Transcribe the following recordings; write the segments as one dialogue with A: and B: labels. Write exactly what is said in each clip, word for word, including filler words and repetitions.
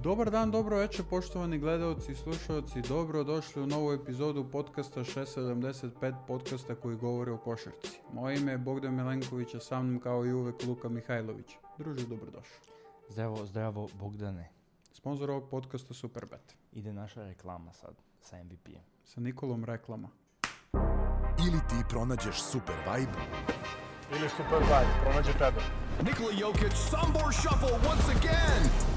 A: Dobar dan, dobro večer, poštovani gledalci i slušalci. Dobro došli u novu epizodu podcasta šest sedamdeset pet, podcasta koji govori o košarci. Moje ime je Bogdan Milenković, a sa mnom kao i uvek Luka Mihajlović. Druže, dobrodošao.
B: Zdravo, zdravo, Bogdane.
A: Sponzor ovog podcasta Superbet.
B: Ide naša reklama sad sa M V P-em.
A: Sa Nikolom reklama.
C: Ili ti pronađeš super vibe,
D: ili super vibe, pronađe tebe.
C: Nikola Jokic, Sombor Shuffle once again!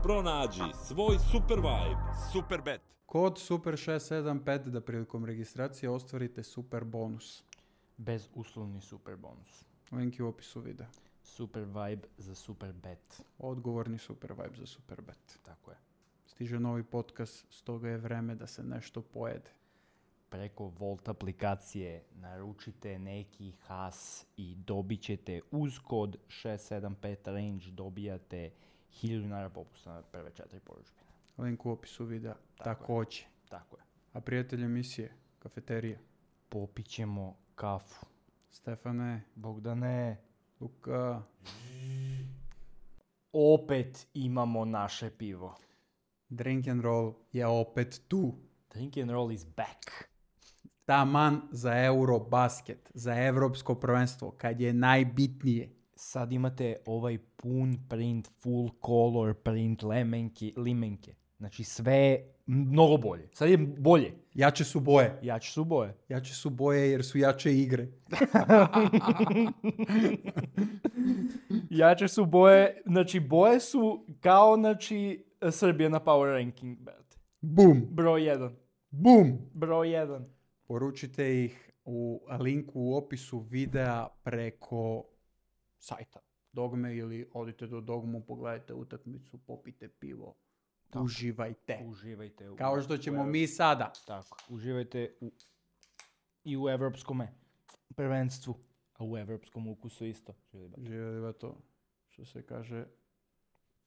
E: Pronađi svoj super vibe.
C: Superbet.
A: Kod Super šest sedam pet da prilikom registracije ostvarite super bonus.
B: Bez uslovni super bonus.
A: Link je u opisu videa.
B: Super vibe za super bet.
A: Odgovorni super vibe za Superbet.
B: Tako je.
A: Stiže novi podcast, stoga je vreme da se nešto pojede.
B: Preko Volt aplikacije naručite neki has i dobit ćete uz kod šest sedam pet range dobijate hiljadu dinara popusta na prve četiri poručbine.
A: Link u opisu videa.
B: Tako
A: Takođe.
B: Tako je.
A: A prijatelj emisije, kafeterija.
B: Popit ćemo kafu.
A: Stefane,
B: Bogdane,
A: Luka.
B: opet imamo naše pivo.
A: Drink and roll je opet tu.
B: Drink and roll is back.
A: Taman za Eurobasket, za evropsko prvenstvo, kad je najbitnije.
B: Sad imate ovaj pun print, full color print lemenke, limenke. Znači sve mnogo bolje. Sad je bolje.
A: Jače su boje.
B: Jače su boje.
A: Jače su boje jer su jače igre.
B: Jače su boje. Znači boje su kao znači Srbija na power ranking. Brate.
A: Bum.
B: Broj jedan.
A: Bum.
B: Broj jedan.
A: Poručite ih u linku u opisu videa preko sajta Dogme ili odite do Dogmu, pogledajte utakmicu, popite pivo.
B: Tako.
A: Uživajte.
B: Uživajte. U,
A: Kao što ćemo
B: u,
A: mi sada.
B: Tako. Uživajte u, i u evropskom prvenstvu. A u evropskom ukusu isto.
A: Živjeli to, što se kaže,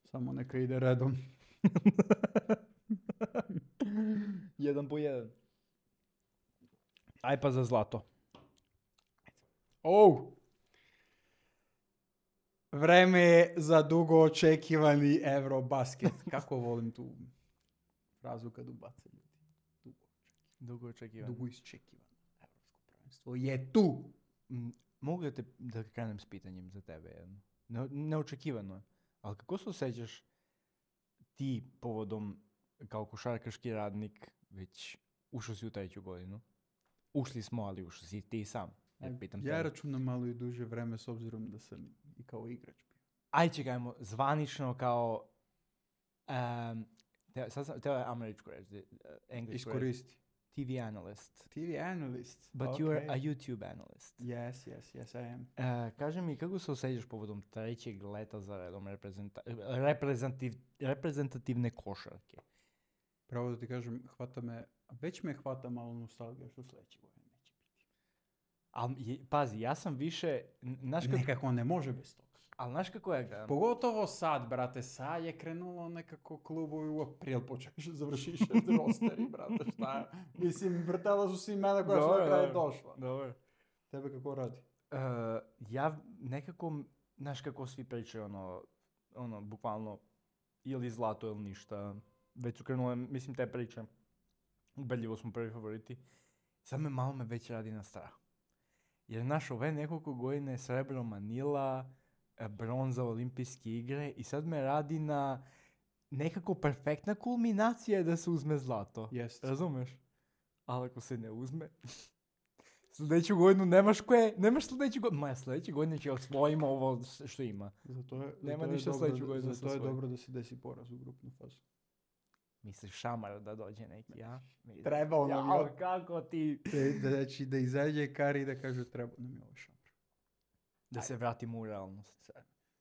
A: samo neka ide redom.
B: Jedan po jedan. Aj pa za zlato.
A: Oh! Vreme je za dugo očekivani Eurobasket. Kako volim tu frazu kad ubace ljudi. Dugo očekivani.
B: Dugo očekivano.
A: Dugo iščekivano. Evropsko prvenstvo je tu.
B: M, Mogu da, te, da krenem s pitanjem za tebe jedno. Ne, neočekivano je. Ali kako se osjećaš ti povodom kao košarkaški radnik već ušao si u treću godinu? Ušli smo, ali ušao si ti sam. Ja, pitam
A: ja
B: tebe.
A: računam malo i duže vreme s obzirom da sam i kao igrač bio.
B: Aj čekajmo, zvanično kao um, te, sad sam, teo je američko reći, uh, engleško reći.
A: Iskoristi.
B: T V analyst.
A: T V analyst.
B: But
A: okay.
B: you are a YouTube analyst.
A: Yes, yes, yes, I am.
B: Uh, kaži mi, kako se osjećaš povodom trećeg leta za redom reprezenta- reprezentativ, reprezentativne košarke?
A: Pravo da ti kažem, hvata me, već me hvata malo nostalgija što sljedeće godine neće biti.
B: Ali, pazi, ja sam više, znaš kako,
A: Nekako ne može bez toga.
B: ali znaš kako ja gledam?
A: Pogotovo sad, brate, sad je krenulo nekako klubovi u april, počeš završiš rosteri, brate, šta je? Mislim, vrtela su si imena koja su na kraju došla.
B: Dobro.
A: Tebe kako radi?
B: Uh, ja nekako, znaš kako svi pričaju, ono, ono, bukvalno, ili zlato ili ništa. Već su krenule, mislim, te priče. Ubedljivo smo prvi favoriti. Sad me malo me već radi na strah. Jer naš ove nekoliko godine srebro Manila, bronza olimpijske igre i sad me radi na nekako perfektna kulminacija da se uzme zlato.
A: Jest.
B: Razumeš? Ali ako se ne uzme, sljedeću godinu nemaš koje, nemaš sljedeću godinu. Moja sljedeća godina će osvojimo ovo što ima.
A: Zato je,
B: Nema
A: zato je
B: ništa
A: dobro
B: sljedeću
A: da-
B: godinu da se
A: Zato je
B: osvoji.
A: dobro da se desi poraz u grupnu fazu.
B: Misliš šamar da dođe neki, ja?
A: Trebao nam je.
B: Jao, kako ti...
A: Da, znači, da izađe Kari i da kaže treba nam je ovaj šamar.
B: Da se vratimo u realnost.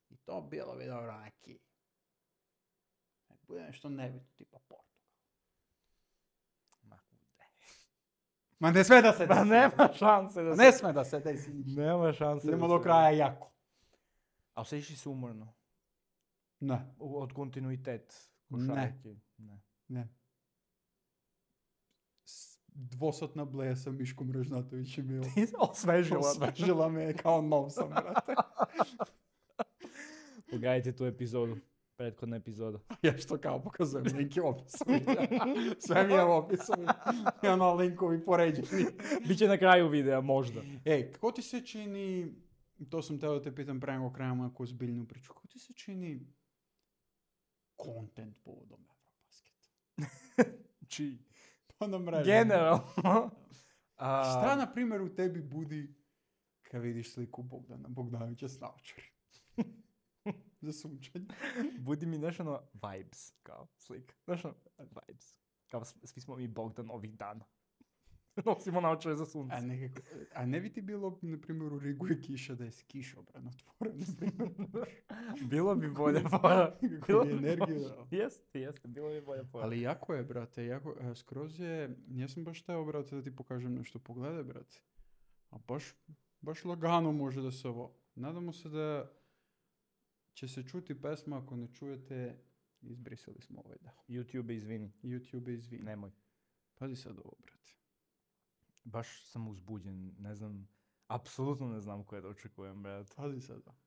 A: I to bilo bi dobro neki. Nek bude nešto nebitno, tipa Portugal.
B: Ma kude.
A: Ma ne sme da se desi.
B: Ma nema šanse da
A: Ma
B: se...
A: ne sme da se desi ništa.
B: Nema šanse
A: Idemo
B: da
A: do
B: se-
A: kraja jako.
B: A osjećaš se umorno?
A: Ne,
B: U- Od kontinuitet
A: Ne.
B: košarke? Ne.
A: ne. S- Dvosatna bleja sa Miškom Ražnatovićem je
B: Osvežila.
A: osvežila me kao nov sam, brate.
B: Pogledajte tu epizodu, prethodna epizoda.
A: Ja što kao pokazujem linki u opisu. Sve mi je u opisu. I ono linkovi poređeni.
B: Biće na kraju videa, možda.
A: Ej, kako ti se čini, to sam teo da te pitam pravim okrenemo neku ozbiljnu priču, kako ti se čini content povodom Eurobasketa?
B: Čiji?
A: Pa na mreži.
B: Generalno.
A: Šta, na primjer, u tebi budi kad vidiš sliku Bogdana Bogdanovića s naočari? Za sunčanje.
B: Budi mi nešto ono vibes, kao slika. Znaš ono, vibes. Kao s- svi smo mi Bogdan ovih dana. Nosimo naočare za sunce.
A: A, nekako, a ne bi ti bilo, na primjer, u Rigu je kiša da je kišobran otvoren, na primjer.
B: Bilo bi bolje fora.
A: Kako bi energiju dao.
B: Jeste, jeste, bilo bi bolje fora.
A: Ali jako je, brate, jako, e, skroz je, nisam baš teo, brate, da ti pokažem nešto, pogledaj, brate. A baš, baš lagano može da se ovo. Nadamo se da će se čuti pesma, ako ne čujete, izbrisali smo ovaj dao.
B: YouTube, izvini.
A: YouTube izvini.
B: Nemoj.
A: Pazi sad ovo, brate.
B: Baš sam uzbuđen, ne znam, apsolutno ne znam koje da očekujem, brate.
A: Pazi sad ovo.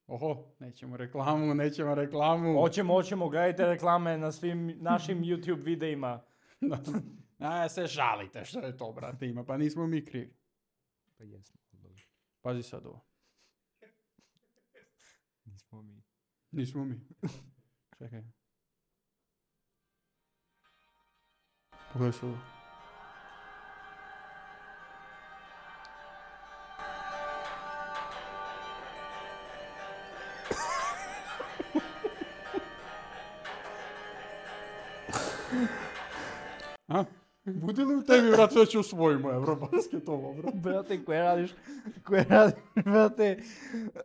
A: Oho, nećemo reklamu, nećemo reklamu.
B: Hoćemo, hoćemo, gledajte reklame na svim našim YouTube videima.
A: A, se žalite što je to, brate, ima, pa nismo mi krivi.
B: Pa jesmo, dobro.
A: Pazi sad ovo.
B: Nismo mi.
A: Nismo mi. Čekaj. Pogledaj se ovo. A? Bude li u tebi, brate, da ću usvojimo Eurobasket ovo, brate?
B: Brate, koje radiš, koje radiš, brate,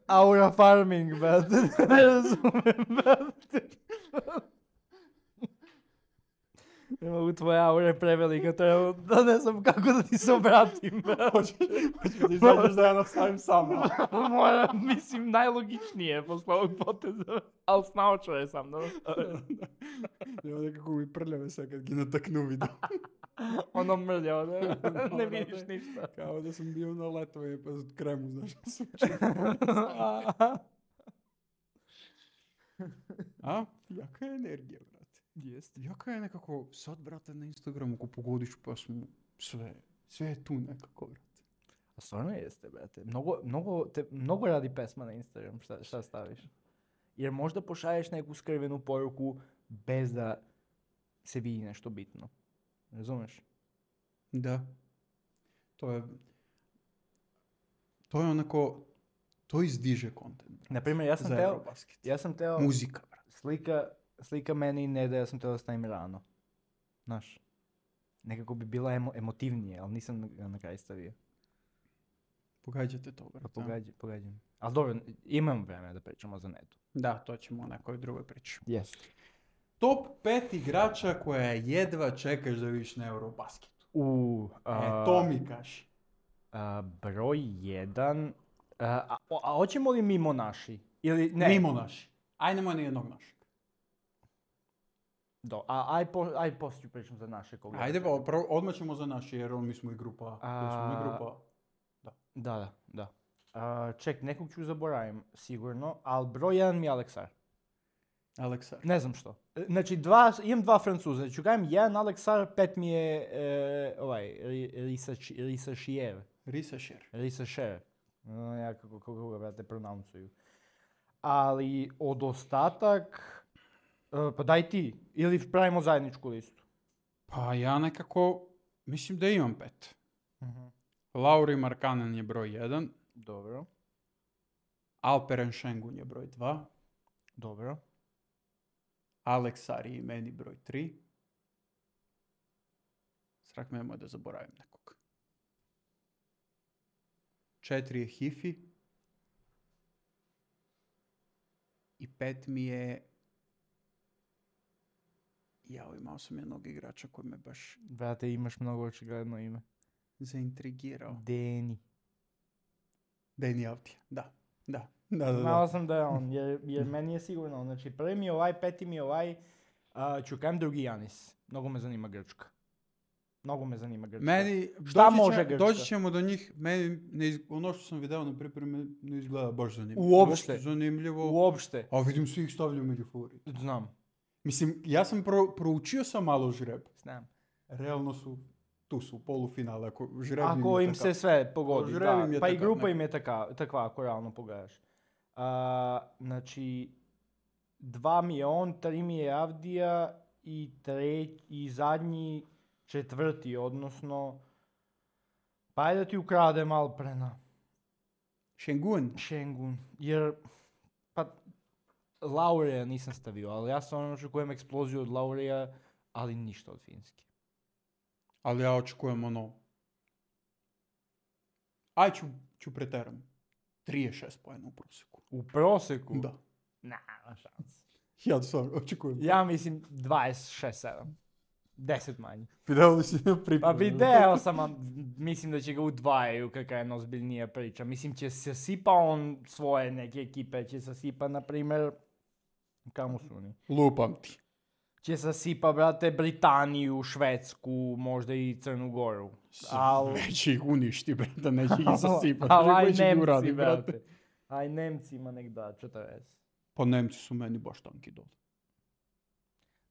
B: Aura Farming, brate, ne razumem, brate. Ne mogu, tvoja aura je prevelika, treba da ne znam kako da ti se obratim, brate.
A: Hoćeš da izađeš da ja nastavim sama.
B: Moram, mislim, najlogičnije posle ovog poteza, ali s naočare sam, da.
A: Evo nekako mi prljave sad kad gi nataknu video.
B: Ono mrljao, ne, ne
A: Brate,
B: vidiš ništa.
A: Kao da sam bio na letovanje pa kremu, znaš da sam A? Jaka je energija, brate.
B: Jeste.
A: Jaka je nekako, sad, brate, na Instagramu, ako pogodiš pesmu, sve, sve je tu nekako, brate.
B: A stvarno jeste, brate. Mnogo, mnogo, te, mnogo radi pesma na Instagram, šta, šta staviš? Jer možda pošalješ neku skrivenu poruku bez da se vidi nešto bitno. Razumeš?
A: Da. To je, to je onako, to izdiže kontent.
B: Naprimjer, ja sam
A: Za
B: teo,
A: Eurobasket.
B: ja sam teo,
A: Muzika, brate.
B: slika, slika meni i Neda, ja sam teo da stavim rano. Znaš, nekako bi bila emo, emotivnije, ali nisam ga na kraj stavio.
A: Pogađate to,
B: Pa
A: brate.
B: pogađam, pogađam. Ali dobro, imam vremena da pričamo za Nedu.
A: Da, to ćemo o nekoj drugoj priči.
B: Yes.
A: Top pet igrača koja jedva čekaš da vidiš na Eurobasketu.
B: U,
A: E, to mi kaži.
B: a, broj jedan, a, a, a hoćemo li mimo naši? Ili ne?
A: Mimo naši. Aj, nemoj ni jednog našeg.
B: Do, a, aj, po, aj poslije ću pričam za naše koga.
A: Ajde, pa, prvo, odmah ćemo za naši, jer mi smo i grupa.
B: A-
A: Mi smo i grupa.
B: Da, da, da. A, ček, nekog ću zaboravim, sigurno, ali broj jedan mi je Aleksar.
A: Aleksar.
B: Ne znam što. E, Znači, dva, imam dva Francuza. Ću gajem jedan Aleksar, pet mi je e, ovaj, Risa Šier.
A: Risašer.
B: Risa Šier. No, ja kako, kako ga, brate, pronounceuju. Ali od ostatak, e, pa daj ti, ili pravimo zajedničku listu.
A: Pa ja nekako, mislim da imam pet. Lauri Markkanen je broj jedan.
B: Dobro,
A: Alperen Şengün je broj dva.
B: dobro.
A: Aleksar je i meni broj tri. Strak me nemoj da zaboravim nekog. Četiri je Hifi. I pet mi je... Jao, imao sam jednog igrača koji me baš
B: Brate, imaš mnogo očigledno ime.
A: zaintrigirao.
B: Deni.
A: Deni Avdija, da. Da, da, da.
B: Znao
A: da.
B: sam da je on, jer, jer meni je sigurno. Znači, prvi mi je ovaj, peti mi je ovaj, uh, ću kajem drugi Janis. Mnogo me zanima Grčka. Mnogo me zanima Grčka.
A: Meni,
B: Šta
A: doći,
B: može
A: će,
B: Grčka?
A: doći ćemo do njih, meni ne iz, ono što sam video na pripremi ne izgleda baš zanimljivo.
B: Uopšte.
A: zanimljivo.
B: Uopšte.
A: A vidim svi ih stavljaju među favorite.
B: Znam.
A: Mislim, ja sam pro, proučio sam malo žreb.
B: Znam.
A: Realno su, tu su, polufinale. Ako, žreb im
B: Ako
A: je
B: im
A: takav.
B: se sve pogodi,
A: Žreb
B: da.
A: im je
B: Pa i
A: takav,
B: grupa
A: ne.
B: im je taka, takva, ako realno pogledaš. A, znači, dva mi je on, tri mi je Avdija i, treć, i zadnji četvrti, odnosno, pa ajde da ti ukrade malo prena.
A: Šengun.
B: Šengun, jer, pa, Laurija nisam stavio, ali ja stvarno očekujem eksploziju od Laurija, ali ništa od Finske.
A: Ali ja očekujem ono... Aj, ću, ću preteram. trideset šest pojena u prosjeku.
B: U prosjeku?
A: Da.
B: Na, na šans.
A: Ja stvarno očekujem.
B: Ja mislim dvadeset šest sedam. deset manje.
A: Video li si na pripremu?
B: Pa video sam, a mislim da će ga udvajaju kakva je ozbiljnija priča. Mislim će se sipa on svoje neke ekipe, će se sipa, na primjer, kamo su oni?
A: Lupam ti.
B: Će se sipa, brate, Britaniju, Švedsku, možda i Crnu Goru. Al...
A: Već ih uništi, brate, neće ih zasipati.
B: Al aj
A: Već ih
B: Nemci,
A: uradi,
B: brate. Aj Nemcima nek da četrdeset.
A: Pa Nemci su meni baš tanki dole.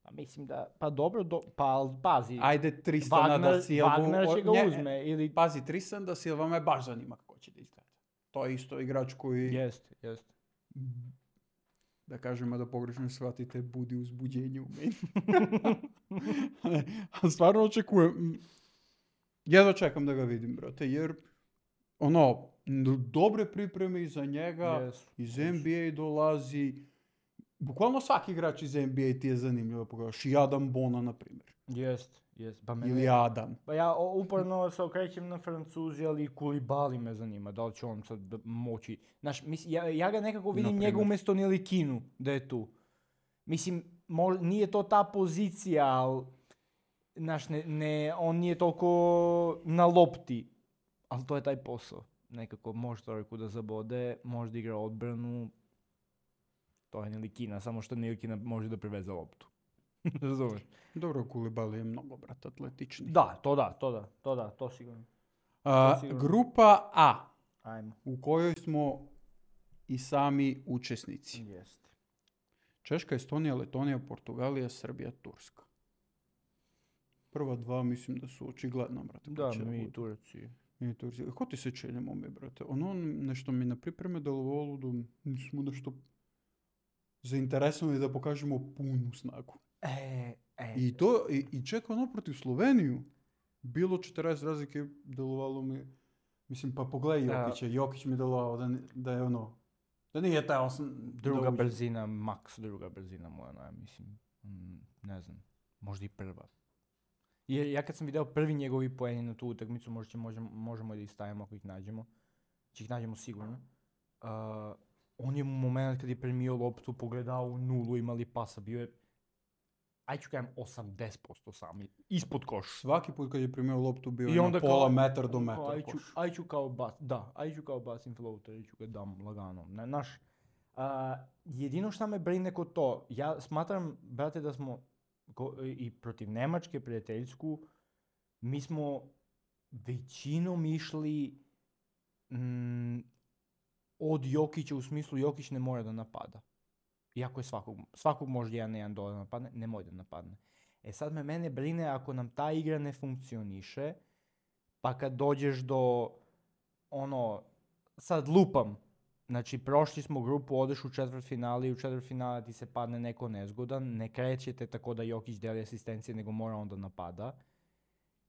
B: Pa mislim da, pa dobro, do, pa al pazi.
A: Ajde, Tristana
B: Wagner,
A: da Silvu...
B: Wagner će ga
A: nje-
B: uzme, ili...
A: Pazi, Tristan da Silva me baš zanima kako će da izgleda. To je isto igrač koji,
B: Jest, jest.
A: da kažemo da pogrešno shvatite, budi uzbuđenje u meni. Ali stvarno očekujem. Jedva čekam da ga vidim, brate, jer ono, n- dobre pripreme iza njega,
B: Jesu,
A: iz
B: jesu.
A: N B A dolazi. Bukvalno svaki igrač iz N B A ti je zanimljivo da pogledaš. I Adam Bona, na primjer.
B: Jest, jest. Pa mene...
A: Ili Adam.
B: Pa ja o- uporno se okrećem na Francuzi, ali Koulibaly me zanima, da li će on sad d- moći. Znaš, mis, ja, ja ga nekako vidim
A: Naprimjer.
B: njega umjesto Nilikinu da je tu. Mislim, mo- nije to ta pozicija, ali, znaš, ne, ne, on nije toliko na lopti, ali to je taj posao. Nekako može trojku da zabode, može da igra odbranu, to je Nilikina, samo što Nilikina može da priveze loptu. Razumeš?
A: Dobro, Koulibaly je mnogo, brate, atletični.
B: Da, to da, to da, to da, to sigurno.
A: A,
B: to sigurno.
A: grupa A,
B: Ajmo.
A: u kojoj smo i sami učesnici.
B: Jeste.
A: Češka, Estonija, Letonija, Portugalija, Srbija, Turska. Prva dva mislim da su očigledno, brate. ko
B: Da,
A: će
B: mi
A: budu.
B: Turci.
A: Mi Turci. Ko ti se čini, mi, brate? Ono nešto mi na pripreme delovalo da nismo nešto zainteresovani da pokažemo punu snagu.
B: E, e.
A: I to, i, i čak ono protiv Sloveniju, bilo četrdeset razlike, delovalo mi, mislim, pa pogledaj
B: Da.
A: Jokića, Jokić mi delovao da, ni- da je ono, da nije taj osam...
B: Druga
A: da uđe.
B: brzina, maks druga brzina moja, ja mislim. Mm, ne znam, možda i prva. Jer ja kad sam video prvi njegovi poeni na tu utakmicu, možda će, možemo, možemo i da ih stavimo ako ih nađemo. Će ih nađemo sigurno. Uh, on je u moment kad je primio loptu pogledao u nulu, imali pasa, bio je, aj ću kajem, osamdeset posto sami, ispod koš.
A: Svaki put kad je primio loptu bio
B: I
A: je
B: onda
A: na pola
B: kao-
A: metar do
B: kao,
A: metra
B: aj ću,
A: koš.
B: aj ću kao bas, da, aj ću kao bacim floater, aj ću ga dam lagano. Ne, naš, a, jedino šta me brine kod to, ja smatram, brate, da smo ko- i protiv Nemačke prijateljsku, mi smo većinom išli mm, od Jokića, u smislu Jokić ne mora da napada. Iako je svakog, svakog može jedan na jedan dole napadne, ne može da napadne. E sad me mene brine ako nam ta igra ne funkcioniše, pa kad dođeš do, ono, sad lupam, znači prošli smo grupu, odeš u četvrtfinale i u četvrtfinale ti se padne neko nezgodan, ne krećete tako da Jokić deli asistencije, nego mora onda napada.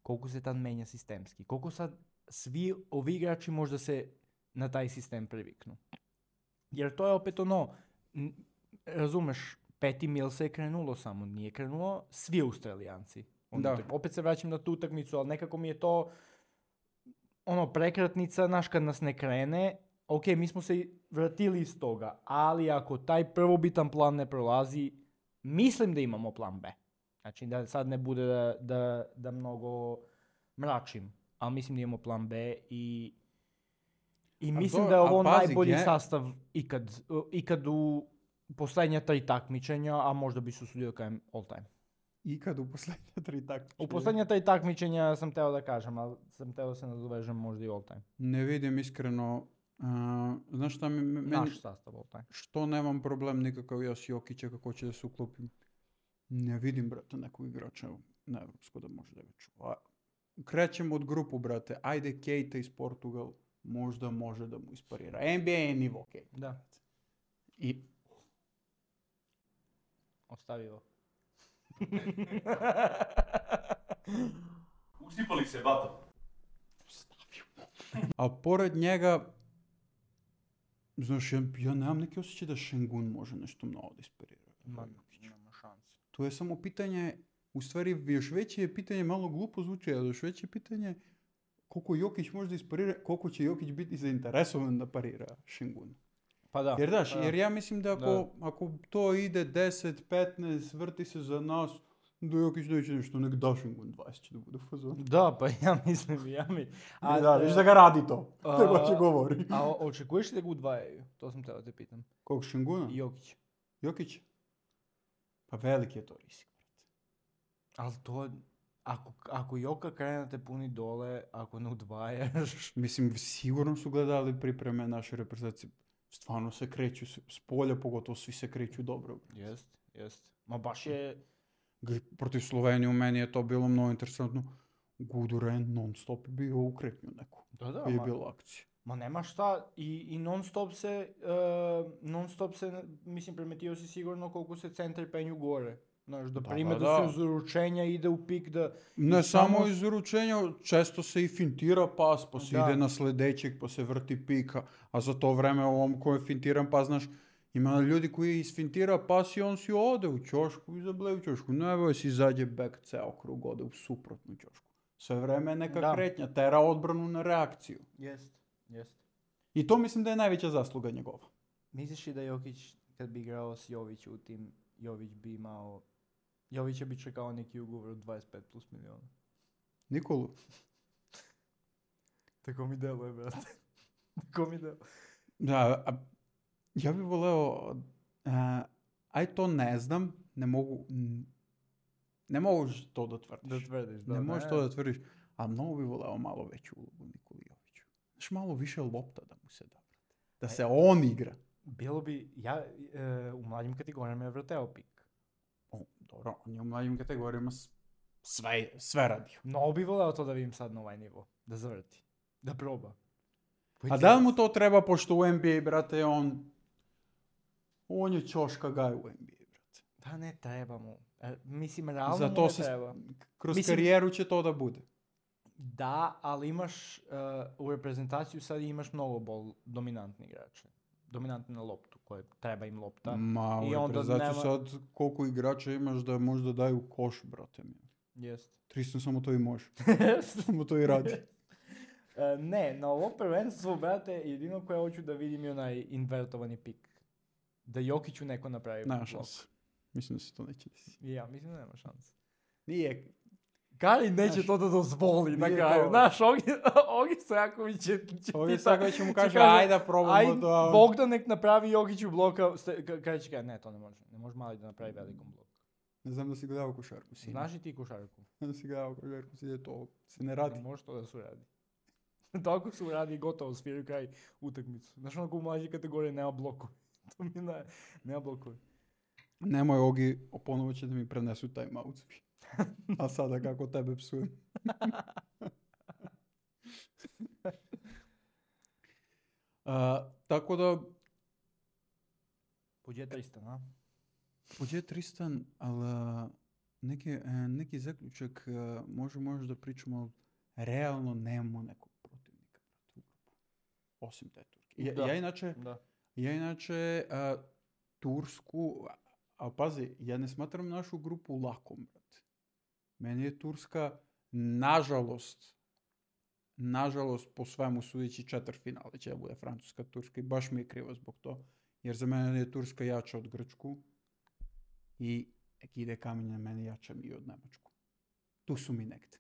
B: Koliko se tad menja sistemski? Koliko sad svi ovi igrači možda se na taj sistem priviknu? Jer to je opet ono, n- razumeš, Peti Mills je krenulo samo, nije krenulo svi Australijanci. Onda
A: Da.
B: te- opet se vraćam na tu utakmicu, ali nekako mi je to ono prekretnica, znaš, kad nas ne krene, ok, mi smo se i vratili iz toga, ali ako taj prvobitan plan ne prolazi, mislim da imamo plan B. Znači da sad ne bude da, da, da mnogo mračim, ali mislim da imamo plan B i i
A: A
B: mislim
A: to-
B: da je
A: a
B: ovo
A: pazi,
B: najbolji
A: gdje-
B: sastav ikad, ikad u posljednja tri takmičenja, a možda bi se usudio da kažem all time.
A: ikad u posljednje tri takmičenja?
B: U posljednje tri takmičenja sam teo da kažem, ali sam teo da se nadovežem možda i all time.
A: Ne vidim iskreno. Uh, znaš šta mi... Meni,
B: Naš sastav all time.
A: što nemam problem nikakav ja s Jokića kako će da se uklopim. Ne vidim, brate, nekog igrača na evropsko da može da ga čuva. Krećemo od grupu, brate. Ajde, Keita iz Portugal možda može da mu isparira. N B A je nivo Keita.
B: Da.
A: I
B: Ostavio.
D: Usipali se, bato.
A: a pored njega, znaš, ja, ja nemam neki osjećaj da Šengun može nešto mnogo da isparira.
B: Ma, nema šanse.
A: To je samo pitanje, u stvari još veće je pitanje, malo glupo zvuči, ali još veće je pitanje koliko Jokić može da isparira, koliko će Jokić biti zainteresovan da parira Šengun.
B: Pa da.
A: Jer daš,
B: pa da.
A: jer ja mislim da ako,
B: Da.
A: ako to ide deset, petnaest, vrti se za nas, da Jokić neće nešto, nek da Šengun dvadeset će da bude u fazonu.
B: Da, pa ja mislim, ja mi...
A: A, da, viš da ga radi to.
B: a-
A: Te baš govori.
B: A o- očekuješ li da ga udvajaju? To sam teo da te pitam.
A: Kog Šenguna?
B: I Jokić.
A: Jokić? Pa veliki je to rizik.
B: Ali to... Ako, ako Joka krene da te puni dole, ako ne udvajaš...
A: Mislim, sigurno su gledali pripreme naše reprezentacije. Stvarno se kreću, s s polja pogotovo svi se kreću dobro.
B: Jest, jest. Ma baš je...
A: G- Protiv Slovenije u meni je to bilo mnogo interesantno. Guduren non stop bio u kretnju neku.
B: Da, da,
A: Kad je
B: ma,
A: bilo akcije.
B: ma nema šta. I, i non stop se... Uh, non stop se, mislim, primetio si sigurno koliko se centri penju gore. Znaš, da
A: Da,
B: prime
A: da,
B: da,
A: da.
B: se uz uručenja ide u pik da...
A: Ne
B: I
A: samo
B: samo-
A: iz uručenja, često se i fintira pas, pa se
B: Da.
A: ide na sledećeg, pa se vrti pika, a za to vreme ovom ko je fintiran pas, znaš, ima ljudi koji isfintira pas i on si ode u ćošku i zableje u ćošku. Ne boj si izađe back ceo krug, ode u suprotnu ćošku. Sve vreme je neka
B: Da.
A: kretnja, tera odbranu na reakciju.
B: Jest, jest.
A: I to mislim da je najveća zasluga njegova.
B: Misliš li da Jokić, kad bi igrao s Jović u tim, Jović bi imao... Jovića bi čekao neki ugovor od dvadeset pet plus miliona.
A: Nikolu?
B: Tako mi deluje, brate. Tako mi deluje.
A: Da, a, ja bih voleo, a, aj to ne znam, ne mogu, n- ne mogu to da tvrdiš.
B: Da tvrdiš, da.
A: ne možeš to da tvrdiš, a mnogo bi voleo malo veću ulogu Nikoli Joviću. Znaš, malo više lopta da mu se da. Da se on igra.
B: Bilo bi, ja e, u mlađim kategorijama je vrteo pik.
A: O, dobro, on je u mlađim kategorijama s- sve, sve radio.
B: No bi voleo to da vidim sad na ovaj nivo. Da zavrti. Da proba.
A: A da li mu to treba, pošto u N B A, brate, on, on je ćoška gaj u N B A, brate.
B: Pa ne treba mu. E, mislim, realno
A: Za
B: mu
A: to
B: ne
A: se,
B: treba.
A: kroz
B: Mislim-
A: karijeru će to da bude.
B: Da, ali imaš, e, u reprezentaciju sad imaš mnogo bol dominantni igrače. Dominantni na loptu, koje treba im lopta.
A: Ma,
B: I
A: u
B: onda
A: reprezentaciju
B: nema-
A: sad koliko igrača imaš da možda daju koš, brate mi.
B: Jest.
A: Tristan samo to i može. Samo to i radi.
B: E, ne, na ovo prvenstvo, brate, jedino koje hoću da vidim je onaj invertovani pik. Da Jokiću neko napravi
A: Nema
B: blok.
A: šanse. Mislim da se to neće desiti.
B: I ja, mislim da nema šanse.
A: Nije.
B: Gari neće
A: Znaš,
B: to da dozvoli na
A: nije
B: kraju.
A: to-
B: Znaš, Ogi, Ogi Stojaković će, će
A: Ovdje
B: pita-
A: sad će mu
B: će
A: kaže,
B: kaže,
A: ajde da probamo
B: aj,
A: da...
B: Bogdan nek napravi Jokiću bloka. ste- ka- Kaže će, ne, to ne može. Ne može mali da napravi velikom bloku.
A: Ne znam da si gledao košarku, sine.
B: Znaš i ti košarku?
A: Da si gledao košarku, sine, to se ne
B: Ne
A: radi.
B: može to da se uradi. Tako se uradi i gotovo, sviraju kraj utakmicu. Znaš, onako u mlađe kategorije nema blokova. To mi ne, nema blokova.
A: Nemoj, Ogi, ponovo će da mi prenesu timeout svi. A sada kako tebe psujem. A, tako da,
B: Pođe Tristan, a?
A: pođe Tristan, ali a, neki, e, neki zaključak a, može, može da pričamo, ali realno nemamo nekog protivnika. brate, u grupu. Osim te Turke. Ja,
B: Da.
A: ja inače,
B: Da.
A: ja inače a, Tursku, a, a pazi, ja ne smatram našu grupu lakom, brate. Meni je Turska, nažalost, nažalost, po svemu sudeći četvrtfinale će da bude Francuska, Turska i baš mi je krivo zbog to. Jer za mene je Turska jača od Grčku i nek ide kamenje, meni jača mi i od Nemačku. Tu su mi negde.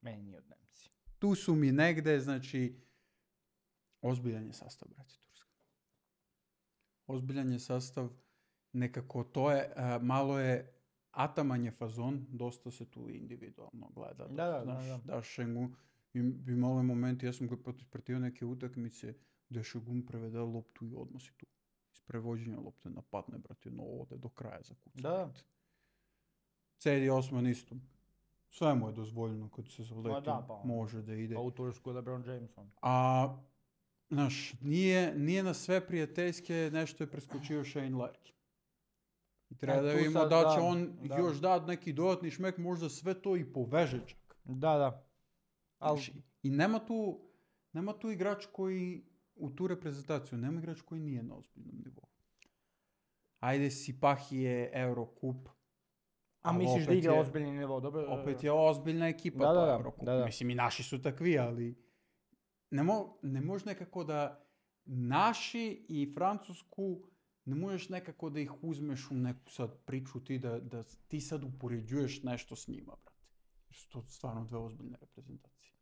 B: Meni nije od Nemci.
A: Tu su mi negde, znači, ozbiljan je sastav, brate, Turska. Ozbiljan je sastav, nekako to je, a, malo je Ataman je fazon, dosta se tu individualno gleda.
B: Da, da,
A: znaš,
B: da, da.
A: daš Šengun, im- bi imali momenti, ja sam ga prat- pratio neke utakmice gdje Šengun prevede loptu i odmah si tu. Iz prevođenja lopte napadne, brate, no ode do kraja za kucu.
B: Da.
A: Cedi Osman isto. Sve mu je dozvoljeno kad se zaleti,
B: da, pa.
A: može da ide.
B: Pa u Tursku LeBron Jameson.
A: A, znaš, nije, nije na sve prijateljske, nešto je preskočio Shane Larkin. I treba
B: E,
A: da
B: tu
A: vidimo
B: sad,
A: da će
B: da,
A: on
B: da.
A: još dati neki dodatni šmek, možda sve to i poveže čak.
B: Da, da. Al,
A: Znaš, I nema tu, nema tu igrač koji, u tu reprezentaciju, nema igrač koji nije na ozbiljnom nivou. Ajde, Sipahi je Eurocup.
B: a
A: ali
B: misliš da
A: opet
B: igra
A: je-
B: ozbiljni nivo, dobro?
A: Opet je ozbiljna ekipa,
B: Da,
A: to
B: da, da,
A: Eurocup.
B: da, da.
A: Mislim, i naši su takvi, ali ne, mo, ne može nekako da naši i Francusku ne možeš nekako da ih uzmeš u neku sad priču ti da, da ti sad upoređuješ nešto s njima, brate. Jer su to stvarno dve ozbiljne reprezentacije.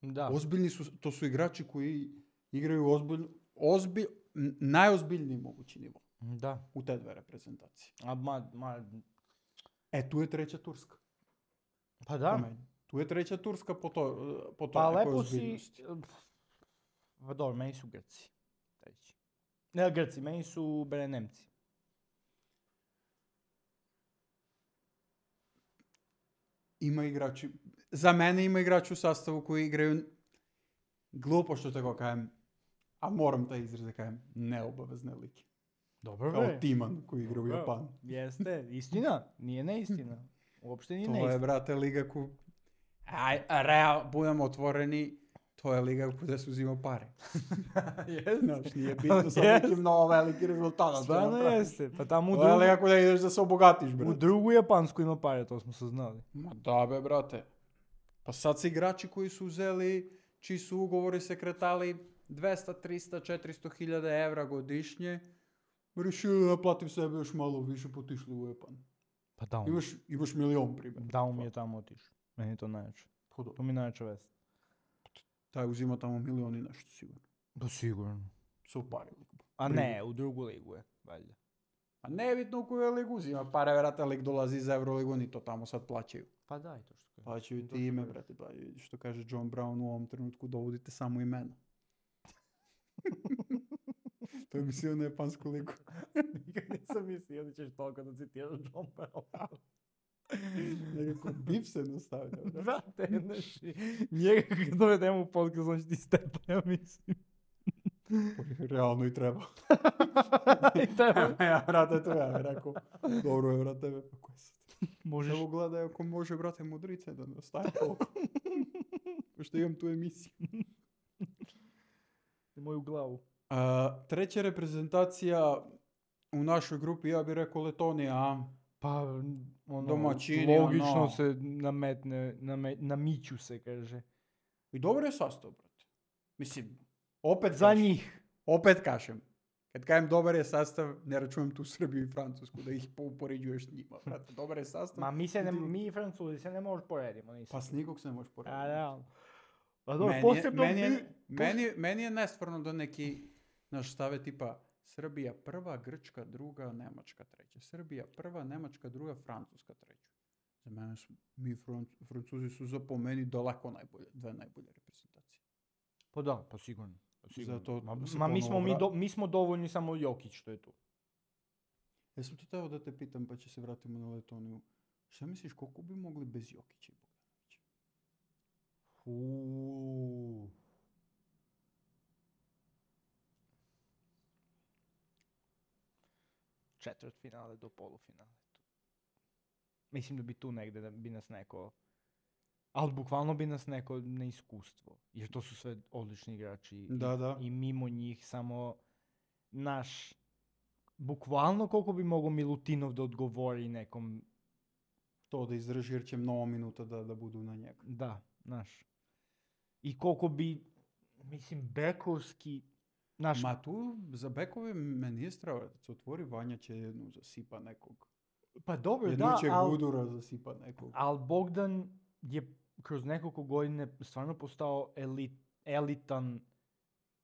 B: Da.
A: Ozbiljni su, to su igrači koji igraju ozbilj, ozbilj, n- najozbiljniji mogući nivo
B: Da.
A: u te dve reprezentacije.
B: A ma, ma,
A: E, tu je treća Turska.
B: pa
A: po
B: da.
A: meni. Tu je treća Turska po to, po to
B: Pa
A: nekoj
B: lepo si...
A: ozbiljnosti.
B: Pa dobro, meni su Grci. Treći. Ne Grci, meni su bere Nemci.
A: Ima igrači, za mene ima igrači u sastavu koji igraju, glupo što tako kažem, a moram taj izraz da kažem, neobavezne lige.
B: Dobro,
A: Kao Timan koji igra u
B: Dobro.
A: Japanu.
B: Jeste, istina. Nije neistina. Uopšte nije
A: To je,
B: neistina.
A: brate, liga ku... Aj, real, budemo otvoreni, to je liga gdje se uzima pare.
B: Jeste.
A: Znaš, nije bitno sa
B: Jeste.
A: nekim mnogo veliki rezultat.
B: Stvarno jeste. Pa tamo u
A: To je
B: drugu,
A: liga gdje ideš da se obogatiš,
B: u
A: brate.
B: drugu Japansku ima pare, to smo saznali.
A: Ma da be, brate. Pa sad se igrači koji su uzeli, čiji su ugovori se kretali dvesta, trista, četiristo hiljada evra godišnje, rešili da naplatim sebe još malo više, potišli u Japan.
B: Pa da, on,
A: Imaš, imaš milion primjer.
B: da on mi je tamo otišao. Meni je to najjače.
A: Pa dobro.
B: To mi je najjača vest.
A: Taj uzima tamo milion i nešto sigurno.
B: Pa sigurno.
A: Su uparili.
B: A ne, u drugu ligu je, valjda.
A: A nebitno u koju ligu uzima pare, vrata lig dolazi iz Euroligu, ni to tamo sad plaćaju.
B: Pa da, i to što kažeš.
A: Plaćaju
B: To
A: ti
B: što
A: ime,
B: kažeš.
A: brate, pa što kaže John Brown u ovom trenutku, dovodite samo imena. To je mislio na japansku ligu.
B: Nikad nisam mislio da ćeš toliko da citiraš John Brown.
A: Nekako bif se nastavlja. brate.
B: Brate, znači, njega kad dovedemo u podcast, on će ti stepa, ja mislim.
A: Realno i treba.
B: I tebe.
A: ja, brate, to ja bih rekao. Dobro je, brate, tebe, pa ko je sad?
B: Možeš...
A: Evo gledaj ako može, brate, mudrice da ne ostaje toliko. Pošto imam tu emisiju.
B: moju glavu.
A: A, treća reprezentacija u našoj grupi, ja bih rekao Letonija, a?
B: Pa, ono,
A: Domaćini,
B: logično
A: ono.
B: se nametne, name, namiću se, kaže.
A: I dobar je sastav, brate. Mislim, opet
B: Za
A: kažem,
B: njih.
A: opet kažem. Kad kažem dobar je sastav, ne računam tu Srbiju i Francusku, da ih upoređuješ s njima, brate. Dobar je sastav.
B: Ma mi se ne,
A: Ti-
B: mi i Francuzi se ne možeš poredimo, nisam.
A: Pa s nikog se ne možeš porediti.
B: A, realno. Pa dobro,
A: Meni je,
B: posebno
A: meni, je,
B: mi-
A: meni, meni je nestvarno da neki naš stave tipa Srbija prva, Grčka druga, Nemačka treća. Srbija prva, Nemačka druga, Francuska treća. Za mene su, mi Franc- Francuzi su za po meni daleko najbolje, dve najbolje reprezentacije.
B: Pa da, pa sigurno. Pa sigurno.
A: Zato
B: ma
A: se
B: ma mi,
A: ponovo
B: smo, mi,
A: vra-
B: do, mi smo dovoljni, samo Jokić što je tu.
A: Jesam to teo da te pitam, pa će se vratimo na Letoniju. Šta misliš, koliko bi mogli bez Jokića i Bogdanovića?
B: Uuuu. Četvrt finale do polufinale. Mislim da bi tu negde da bi nas neko... Ali bukvalno bi nas neko na iskustvo. Jer to su sve odlični igrači. i-
A: Da, da.
B: I mimo njih samo naš... Bukvalno koliko bi mogao Milutinov da odgovori nekom...
A: To da izdrži jer će mnogo minuta da, da budu na njega.
B: Da, naš. I koliko bi... Mislim, bekovski... Naš,
A: Ma tu za bekove me nije strava da se otvori, Vanja će jednu zasipa nekog.
B: pa dobro,
A: Jednu
B: da,
A: će
B: ali...
A: Gudura zasipa nekog.
B: Ali Bogdan je kroz nekoliko godine stvarno postao elit, elitan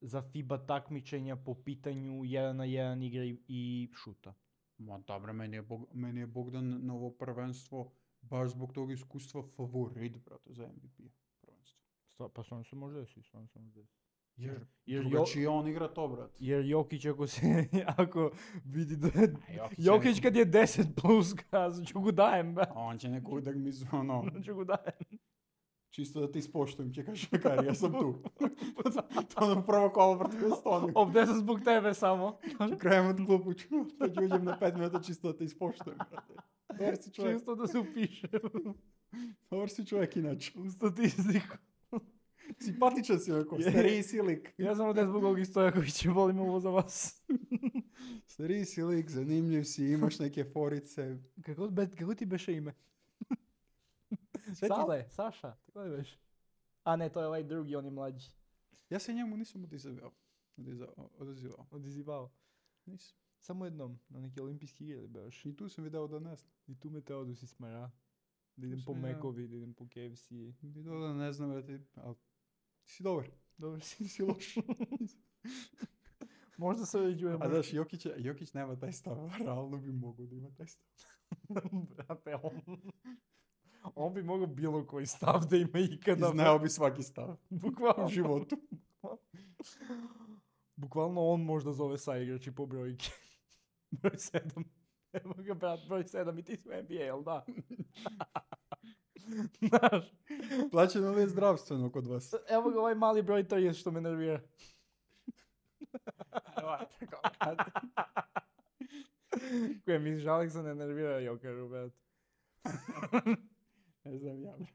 B: za FIBA takmičenja po pitanju jedan na jedan igre i, i šuta.
A: Ma dobro, meni je, Bog, meni je Bogdan na ovo prvenstvo baš zbog tog iskustva favorit, brate, za M V P prvenstvo.
B: Sta- Pa stvarno se može desiti, stvarno se može desiti.
A: Jer,
B: Jer
A: drugačije on igra to, brate.
B: Jer Jokić ako se, ako vidi da...
A: Jokić je
B: Jokić
A: neko-
B: kad je deset plus, kazat ću ga dajem, ba.
A: On će neku utakmicu, ono,
B: ću ga dajem.
A: čisto da ti spoštujem, će kaže, Kari, ja sam tu. To ono prvo kolo protiv Estonije.
B: Ovdje sam zbog tebe samo.
A: Krajem od klupu ću, da ću uđem na pet minuta čisto da te ispoštujem, brate. Dobar si čovjek,
B: Čisto da se upiše
A: dobar si čovjek inače.
B: u statistiku.
A: Simpatičan si onako,
B: Je.
A: stariji si lik.
B: Ja sam ovdje zbog ovih Stojakovića, volim ovo za vas.
A: Stariji si lik, zanimljiv si, imaš neke forice.
B: Kako, be, kako ti beše ime?
A: Sve ti-
B: Sale, Saša, tako je beše? A ne, to je ovaj drugi, on je mlađi.
A: Ja se njemu nisam odizivao. Odizivao. odizivao.
B: Odizivao.
A: Nisam.
B: Samo jednom, na neki olimpijski igri beš.
A: I tu sam video da ne znam.
B: I tu me teo da si smara. Da idem po
A: Sam ja.
B: Mekovi, da idem po K F C.
A: Video da ne znam, brate, ali ti si dobar.
B: Dobro si.
A: Nisi loš.
B: Možda se uređujemo.
A: A znaš, Jokić, je- Jokić nema taj stav, a realno bi mogao da ima taj stav.
B: Brate, on... On bi mogao bilo koji stav da ima ikada.
A: I znao bi svaki stav
B: Bukvalno.
A: u životu.
B: Bukvalno on možda zove sa igrači po brojki. Broj sedam. Evo ga, brat, broj sedam i ti su N B A, jel da? Znaš,
A: Plaćeno li je zdravstveno kod vas?
B: evo ga ovaj mali broj trideset što me nervira. Koje misliš, Aleksa ne nervira Jokeru, brat.
A: Ne znam ja, brate.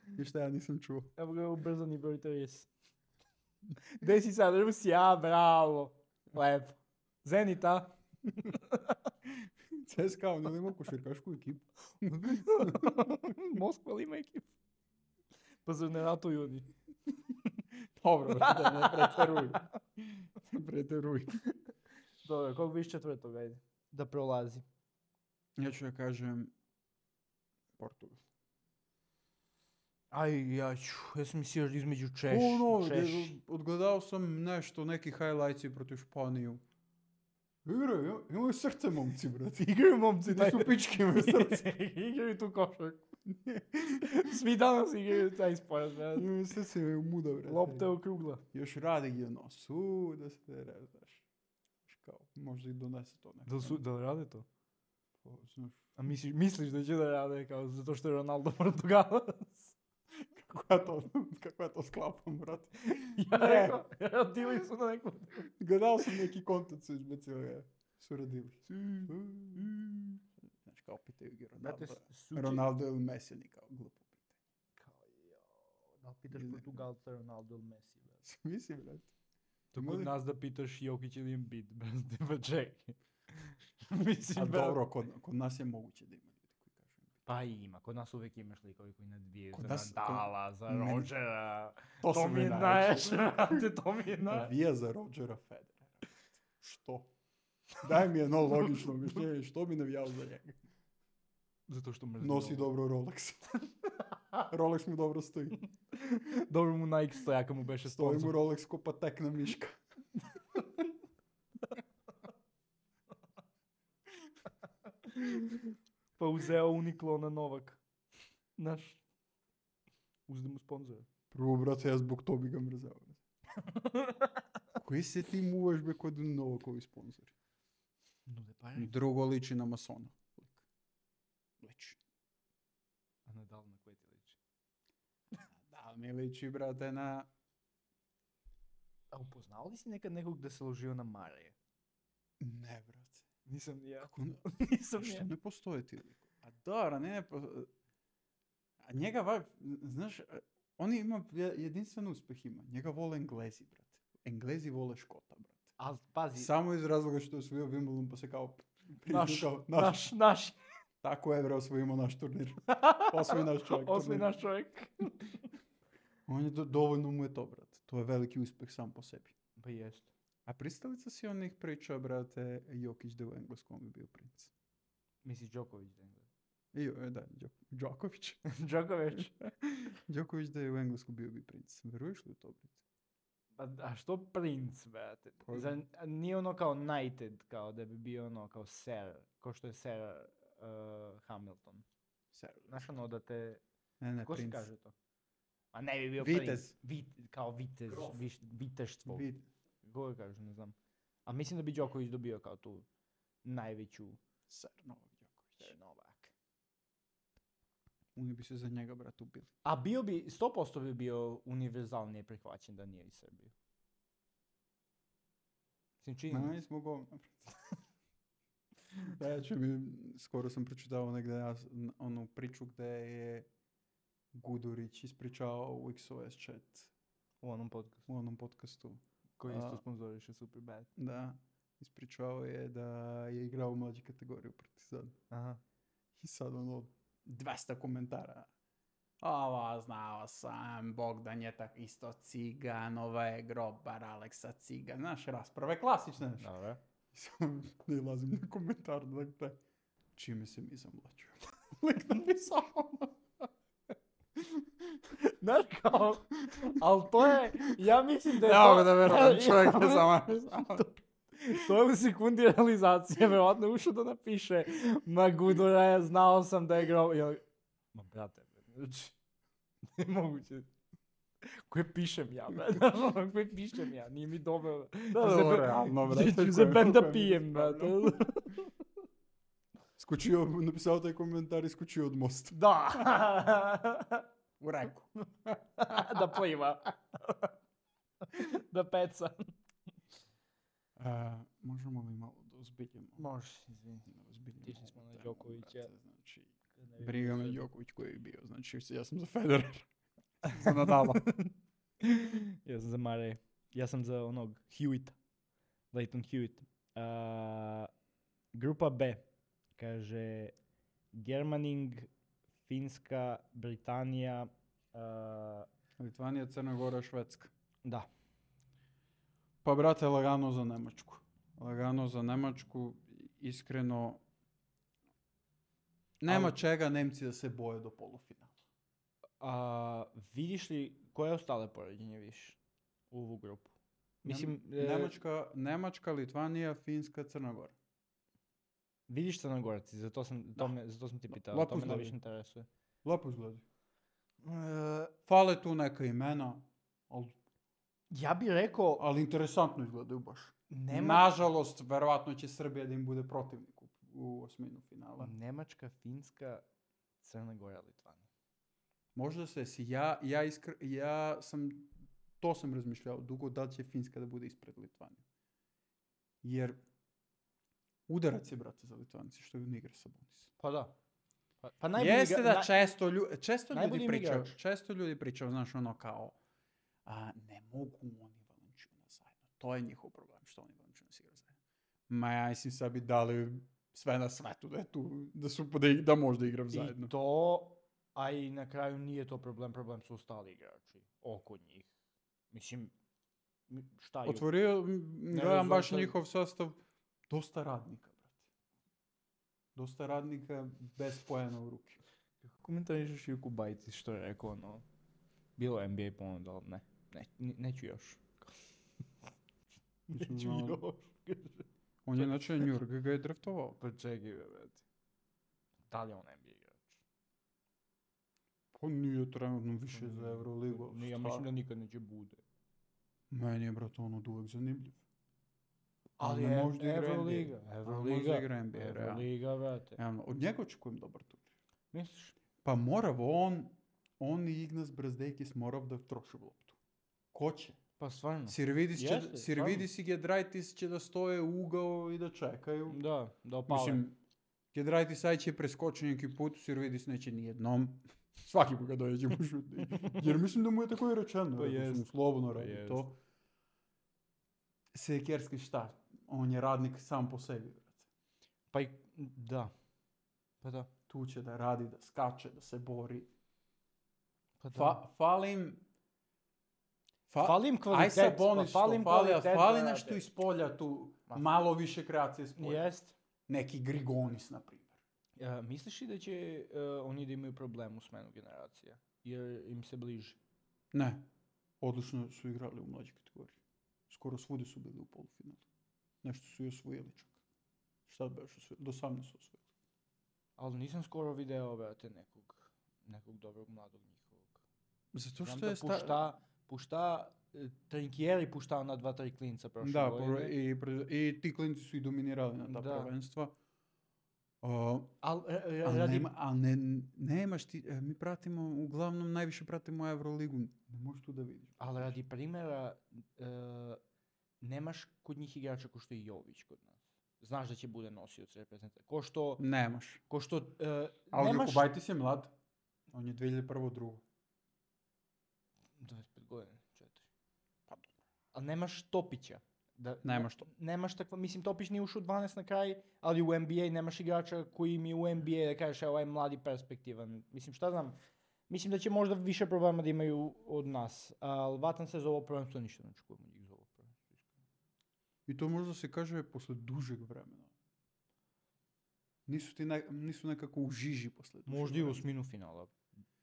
A: Ništa ja nisam čuo.
B: Evo ga ubrzani broj trideset. Gde si sad, Rusija, bravo. Lepo. Zenita.
A: C S K A, on ima košarkašku ekipu.
B: Moskva li ima ekipu? Pa zar ne ratuju oni?
A: Dobro, brate, ne preteruj. Ne preteruj.
B: Dobro, koliko viš četvrtog, ajde. Da prolazi.
A: Ja ću da kažem Portugal.
B: Aj, ja ću, ja sam mislio između Češ,
A: Ono,
B: Češ.
A: gdje odgledao sam nešto, neki highlightsi protiv Španiju. Igraju, ima- imaju srce momci, brate.
B: Igraju momci,
A: Da su pičke imaju srce.
B: Igraju tu košarku. Svi danas igraju taj sport, brad.
A: Imaju srce, imaju muda, brate.
B: Lopta je okrugla.
A: Još radi gdje nos, u, da se ne znaš. Znaš kao, možda i donese to neko.
B: Da li, su, da li rade to?
A: Pa, znaš,
B: A misliš, misliš da će da rade kao zato što je Ronaldo Portugalac?
A: kako ja to, kako ja to sklapam, brate.
B: Ja
A: Ne.
B: rekao, rodili su na neku...
A: Gledao sam neki kontent su izbacili, su radili. Znaš, kao pitaju ga Ronaldo. Ronaldo ili Messi, oni kao glupo pitanje.
B: Kao, jo, da li pitaš
A: Ne.
B: Portugalca, Ronaldo ili Messi, brad?
A: Mislim, brate.
B: To
A: Ima
B: kod
A: li-
B: nas da pitaš Jokić ili Embiid, brate, pa čekaj. Mislim,
A: A
B: brate.
A: dobro, kod, kod nas je moguće da ima ljudi koji kažu.
B: Pa ima, kod nas uvijek imaš likovi koji nadvijaju
A: Kod
B: za
A: nas-
B: Nadala, za
A: meni-
B: Rodgera.
A: To,
B: To mi je najjače, brate, to mi je najjače.
A: Navija za Rodgera Federera. Što? Daj mi jedno logično objašnjenje, što bi navijao za njega?
B: Zato što mrzim
A: Nosi
B: ovo.
A: dobro Rolex. Rolex mu dobro stoji.
B: Dobro mu Nike stojaka mu beše
A: Stoji mu
B: sponsor.
A: Rolex ko patekna miška.
B: Pa uzeo Uniqlo na Novak. Znaš, uzde mu sponzora.
A: Prvo, brate, ja zbog to bi ga mrzao. Koji se ti muvaš be kod Novakovi sponzori?
B: Nude pare.
A: Drugo liči na masona. Lik. Liči.
B: A Nadal na koje ti liči?
A: Da, mi liči, brate, na...
B: A upoznao li si nekad nekog da se ložio na Marije?
A: Ne, brate.
B: Nisam ni ja.
A: Kako ne?
B: Nisam ni
A: Što
B: ja.
A: ne postoje ti likovi? A dobra, ne, ne, po- a njega, va, znaš, on ima je- jedinstven uspeh ima. Njega vole Englezi, brate. Englezi vole Škota, brate.
B: Ali pazi,
A: Samo iz razloga što je osvojio Wimbledon, pa se kao... priznao
B: naš,
A: kao,
B: naš, naš.
A: Tako je, bre, osvojimo naš turnir. Osvoji naš čovjek.
B: Osmi
A: turnir.
B: naš čovjek.
A: On je do, dovoljno mu je to, brate. To je veliki uspeh sam po sebi.
B: Pa jest.
A: A pristalica si onih priča, brate, Jokić da je u engleskom bi bio princ.
B: Misliš Đoković da je?
A: I, e, da, Đok, Đoković.
B: Đoković.
A: Đoković da je u engleskom bio bi princ. Veruješ li u to, brate?
B: A, a što princ, brate?
A: Pa-
B: Za, nije ono kao knighted, kao da bi bio ono kao sir, kao što je sir uh, Hamilton.
A: Ser.
B: Znaš ono da te...
A: Ne, ne,
B: Ko se
A: princ.
B: kaže to? A ne bi bio
A: Vitez.
B: princ. Vit, kao vitez, viš, viteštvo.
A: Vid.
B: Kako kaže, ne znam. A mislim da bi Đoković dobio kao tu najveću
A: Ser Novak Đoković.
B: Sir Novak.
A: Oni bi se za njega, brat, ubili.
B: A bio bi, sto posto bi bio univerzalnije prihvaćen da nije iz Srbije. Mislim, čini mi
A: Ne,
B: se.
A: smo govna, brat. Ja ću mi, skoro sam pročitao negdje ja, s- n- onu priču gdje je Gudurić ispričao u X O S chat
B: U onom podcastu.
A: u onom podcastu.
B: Koji
A: A-
B: isto sponzoriše Superbad.
A: Da, ispričao je da je igrao u mlađi kategoriju Partizan.
B: Aha.
A: I sad ono, dvesta komentara. Ovo znao sam, Bogdan je tak isto cigan, ovo je grobar Aleksa Cigan. Znaš, rasprave klasične. Znaš.
B: Dobro.
A: I samo ne lazim na komentar, dakle, čime se mi zamlačujemo. Lik napisao.
B: Znaš kao, ali to je, ja mislim da je
A: Ja
B: to...
A: mogu da verujem,
B: Ja-
A: čovjek
B: ja-
A: je samo napisao.
B: To je u sekundi realizacije, verovatno je ušao da napiše ma Gudura, ja znao sam da je grob... Ja, ma brate, znači, nemoguće. Koje pišem ja, brate, ono, koje pišem ja, nije mi dobro.
A: Da, da, realno, brate,
B: Ću se
A: koje-
B: ben da
A: koje
B: pijem,
A: misliš,
B: brate.
A: Skočio, napisao taj komentar i skočio od mosta.
B: Da.
A: U reku.
B: Da pliva. Da peca.
A: A, možemo li malo da ozbiljimo?
B: Može, izvini.
A: Da ozbiljimo
B: Otišli smo
A: ovu
B: na
A: temu,
B: Đokovića.
A: brate, Znači, briga me
B: Briga
A: Đoković koji je bio. Znači, ja sam za Federer. za Nadala.
B: Ja sam za Mare. Ja sam za onog Hewitt. Leighton Hewitt. Uh, grupa B. Kaže Germaning, Finska, Britanija. Uh,
A: Litvanija, Crna Gora, Švedska.
B: da.
A: Pa, brate, lagano za Nemačku. Lagano za Nemačku, iskreno, nema
B: Ali-
A: čega Nemci da se boje do polufinala.
B: A, vidiš li koje ostale poređenje više u ovu grupu? Mislim,
A: Nem-
B: e,
A: Nemačka, Nemačka, Litvanija, Finska, Crna Gora.
B: vidiš Crnogorac, zato sam, to
A: Da.
B: me, zato sam ti pitao,
A: Lepo
B: to me
A: izgledaju.
B: najviše interesuje.
A: Lepo izgleda.
B: E,
A: Fale tu neka imena, ali,
B: ja bih rekao,
A: ali interesantno izgledaju baš.
B: nema,
A: Nažalost, verovatno će Srbija da im bude protivnik u, u osminu finala.
B: Nemačka, Finska, Crna Gora, Litvanija.
A: Možda se si, ja, ja, iskr, ja sam, to sam razmišljao dugo, da li će Finska da bude ispred Litvanije. Jer udarac je, brate, za Litvanice, što ne igra Sabonis.
B: Pa da. Pa, pa najbolji
A: Jeste
B: igra-
A: da
B: na-
A: često, lju, često
B: najbolji
A: ljudi
B: im
A: pričaju,
B: igrač.
A: često ljudi pričaju, znaš, ono kao, a, ne mogu oni Valenčuna zajedno. To je njihov problem, što oni Valenčuna igraju zajedno. Ma ja mislim sad bi dali sve na svetu da je tu, da su, da, ig- da možda igram zajedno.
B: I to, a i na kraju nije to problem, problem su ostali igrači oko njih. Mislim, m- šta je?
A: Otvorio, m,
B: Ne
A: gledam baš
B: razumem.
A: njihov sastav, dosta radnika, brate. Dosta radnika bez pojena u ruke.
B: Kako komentarišeš Juku Bajci što je rekao, ono, bilo je N B A ponuda, ali ne, ne, ne- neću još.
A: Mislim,
B: Neću
A: ono,
B: još.
A: on je inače New York ga je draftovao.
B: Pa čekaj, brate. Da li je on N B A igrač?
A: Pa nije trenutno više za Euroligu. ali
B: Ja
A: šta?
B: mislim da nikad neće bude.
A: Meni je, brate, on od uvek zanimljiv.
B: Ali
A: ne
B: je
A: može da igra
B: Euroliga,
A: N B A.
B: Euroliga,
A: može da igra N B A, realno.
B: Euroliga, brate.
A: Realno, od njega očekujem dobar turnir.
B: Misliš?
A: Pa morav on, on i Ignas Brazdejkis morav da troši loptu. Ko će?
B: Pa stvarno.
A: Sirvidis, će,
B: Jeste,
A: Sirvidis i Gedraitis će da stoje u ugao i da čekaju.
B: Da, da opale.
A: Mislim, Gedraitis aj će preskočiti neki put, Sirvidis neće ni jednom. Svaki put ga dođe mu šuti. Jer mislim da mu je tako i rečeno.
B: Pa
A: rekao sam mu
B: jest.
A: slobodno
B: Pa
A: radi
B: jest.
A: to. Sekerski šta? On je radnik sam po sebi. Brate.
B: Pa i, da. Pa da.
A: Tu će da radi, da skače, da se bori.
B: Pa da.
A: Fa, falim... Fa,
B: Falim
A: aj
B: kvalitet,
A: Sabonis
B: pa falim
A: što fali, a
B: kvalitet,
A: fali
B: brate.
A: nešto iz polja tu,
B: Ma-
A: malo više kreacije iz polja.
B: Jest.
A: Neki Grigonis, na primjer.
B: Ja, misliš li da će uh, oni da imaju problem u smenu generacija? Jer im se bliži.
A: Ne. odlično su igrali u mlađoj kategoriji. Skoro svudi su bili u polufinalu. Nešto su i osvojili čak. Šta bi još osvojili? Do osamnaest su osvojili.
B: Ali nisam skoro video, brate, nekog, nekog dobrog mladog njihovog.
A: Zato
B: Znam
A: što
B: da
A: je sta...
B: pušta, pušta, e, Trinkieri puštao na dva, tri klinca prošle
A: Da,
B: godine.
A: pro- i, pre- i ti klinci su i dominirali na ta
B: Da.
A: prvenstva. Uh,
B: Al, e, e,
A: ali
B: radi,
A: nema, al ne, nemaš ti, e, mi pratimo, uglavnom najviše pratimo Euroligu, ne možeš tu da vidiš.
B: ali radi primjera, e, nemaš kod njih igrača ko što je Jović kod nas. Znaš da će bude nosioc reprezentacije. Ko što,
A: Nemaš.
B: ko što e,
A: Ali
B: nemaš...
A: Jokubaitis je mlad. On je dvije hiljade prve drugo.
B: dvadeset pet godina, četiri.
A: Pa dobro.
B: Ali nemaš Topića. Da,
A: Nemaš to.
B: Nemaš takva, mislim, Topić nije ušao u dvanaest na kraj, ali u N B A nemaš igrača koji mi u N B A da kažeš, evo, ovaj mladi perspektivan. Mislim, šta znam, mislim da će možda više problema da imaju od nas, ali vatan se za ovo prvenstvo, ništa ne očekujemo njih za ovo prvenstvo.
A: I to možda se kaže posle dužeg vremena. Nisu ti ne, nisu nekako u žiži posle dužeg
B: Možda i u
A: vremena.
B: osminu finala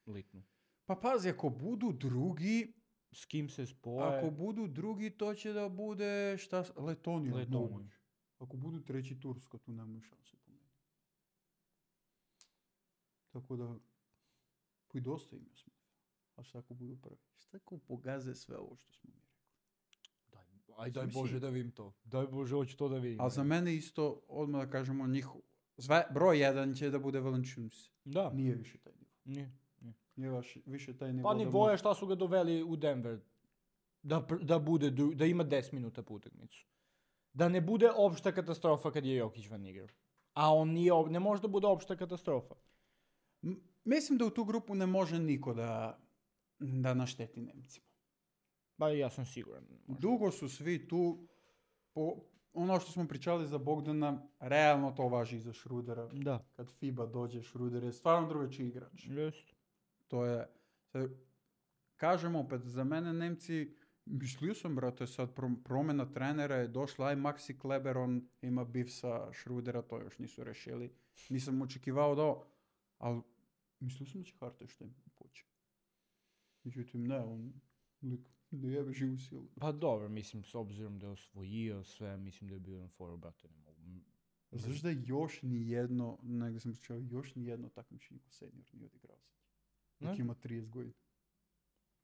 B: litnu.
A: Pa pazi, ako budu drugi,
B: S kim se spoje?
A: ako budu drugi, to će da bude šta, s- Letonija.
B: Letonija.
A: moguće. Ako budu treći Turska, tu nemaju šanse po meni. Tako da, pa i dosta im je smisla. A šta ako budu prvi? Šta ako pogaze sve ovo što smo mi rekli?
B: Daj, aj daj
A: Mislim-
B: Bože da vidim to. Daj Bože, hoću to da vidim.
A: Ali za mene isto, odmah da kažemo, njihov, sve, broj jedan će da bude Valanciunas.
B: Da,
A: Nije više taj nivo.
B: nije.
A: Nije vaš, više taj nivo.
B: Pa
A: da
B: nivo je
A: može-
B: šta su ga doveli u Denver. Da, pr- da, bude, dru- da ima deset minuta po utakmicu. Da ne bude opšta katastrofa kad je Jokić van igrao. A on nije, op- ne može da bude opšta katastrofa.
A: M- Mislim da u tu grupu ne može niko da, da našteti Nemcima.
B: Ba ja sam siguran. Može.
A: Dugo su svi tu, po, ono što smo pričali za Bogdana, realno to važi i za Šrudera.
B: Da.
A: Kad FIBA dođe, Šruder je stvarno drugačiji igrač.
B: Jest.
A: To je, sad, kažem opet, za mene Nemci, mislio sam, brate, sad pro- promjena trenera je došla, aj Maxi Kleber, on ima bif sa Šrudera, to još nisu rešili. Nisam očekivao da ovo, ali mislio sam da će Hartenstein poći. Međutim, ne, on lik ne jebe živu silu.
B: Pa dobro, mislim, s obzirom da je osvojio sve, mislim da je bio na foru, brate, ne mogu.
A: Znaš da još ni jedno, negdje sam pričao, još ni jedno takmičenje ko senior nije odigrao sad. Dok
B: Ne?
A: ima trideset godina.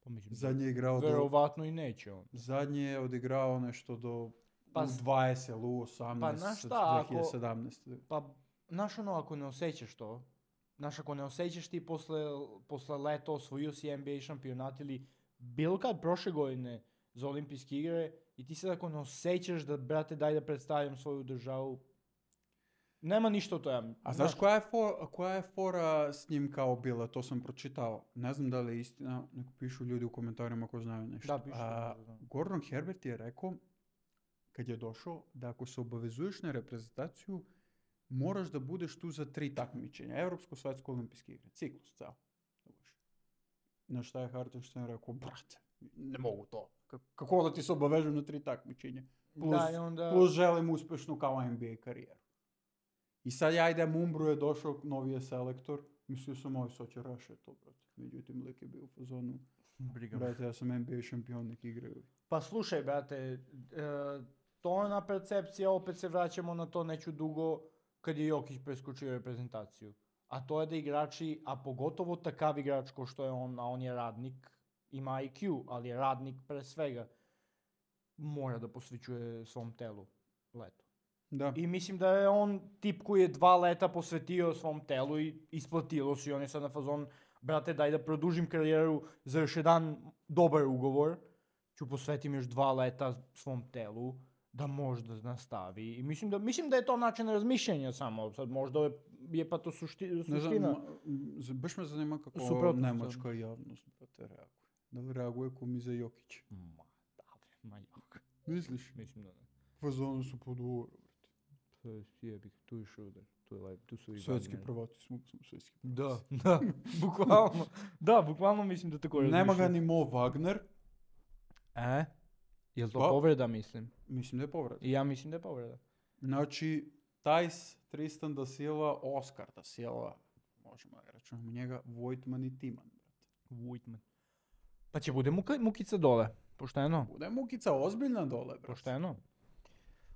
B: Pa mislim,
A: Zadnje je igrao do...
B: verovatno i neće on.
A: Zadnje je odigrao nešto do
B: Pa
A: u
B: s-
A: dvadeset, u osamnaest,
B: Pa, znaš šta, ako-
A: dvije hiljade sedamnaeste.
B: Pa, znaš ono, ako ne osjećaš to, znaš, ako ne osjećaš ti posle, posle leta osvojio si N B A šampionat ili bilo kad prošle godine za olimpijske igre i ti sad ako ne osjećaš da, brate, daj da predstavljam svoju državu, nema ništa od toga.
A: A znaš koja je, for, koja je fora s njim kao bila? To sam pročitao. Ne znam da li je istina, neko pišu ljudi u komentarima ko znaju nešto.
B: Da, pišu,
A: A,
B: da, da.
A: Gordon Herbert je rekao, kad je došao, da ako se obavezuješ na reprezentaciju, moraš da budeš tu za tri takmičenja. Evropsko, svetsko, olimpijske igre. Ciklus, ceo. Na šta je Hartenstein rekao, brate, ne mogu to. K- kako da ti se obavežem na tri takmičenja? Plus,
B: Da, i onda...
A: plus želim uspešnu kao N B A karijeru. I sad ja idem, Umbro je došao, novi je selektor. Mislio sam, ovi sad će raše to, brate. Međutim, lik je bio u fazonu.
B: Briga me.
A: Brate, ja sam N B A šampion, nek igraju.
B: Pa slušaj, brate, e, to je ona percepcija, opet se vraćamo na to neću dugo kad je Jokić preskočio reprezentaciju. A to je da igrači, a pogotovo takav igrač ko što je on, a on je radnik, ima I Q, ali je radnik pre svega, mora da posvećuje svom telu leto.
A: Da.
B: I mislim da je on tip koji je dva leta posvetio svom telu i isplatilo se i on je sad na fazon, brate, daj da produžim karijeru za još jedan dobar ugovor, ću posvetim još dva leta svom telu, da možda nastavi. I mislim da, mislim da je to način razmišljanja samo, sad možda je, je pa to sušti,
A: Ne
B: suština.
A: znam, ma- z- baš me zanima kako
B: Suprotno
A: nemačka javnost, brate, reaguje. Da li reaguje ko mi za Jokić?
B: Ma, da, bre, ma jok.
A: Misliš?
B: Mislim da ne.
A: Fazonu su pod uvoru, brate.
B: To je jebik, tu je Šruder, tu, je, like, tu su i
A: Svetski
B: Wagner.
A: prvati smo, smo svetski prvati.
B: Da, da, bukvalno. Da, bukvalno mislim da tako
A: Nema ga
B: razmišljam.
A: ni Mo Wagner.
B: E? Jel to
A: Pa-
B: povreda, mislim?
A: Mislim da je povrat.
B: I ja mislim da je povreda.
A: Znači, Tajs, Tristan da Silva, Oskar da Silva, možemo da računamo njega, Vojtman i Timan, brate.
B: Vujtman. Pa će bude muka, mukica dole, pošteno.
A: Bude mukica ozbiljna dole, brate.
B: Pošteno.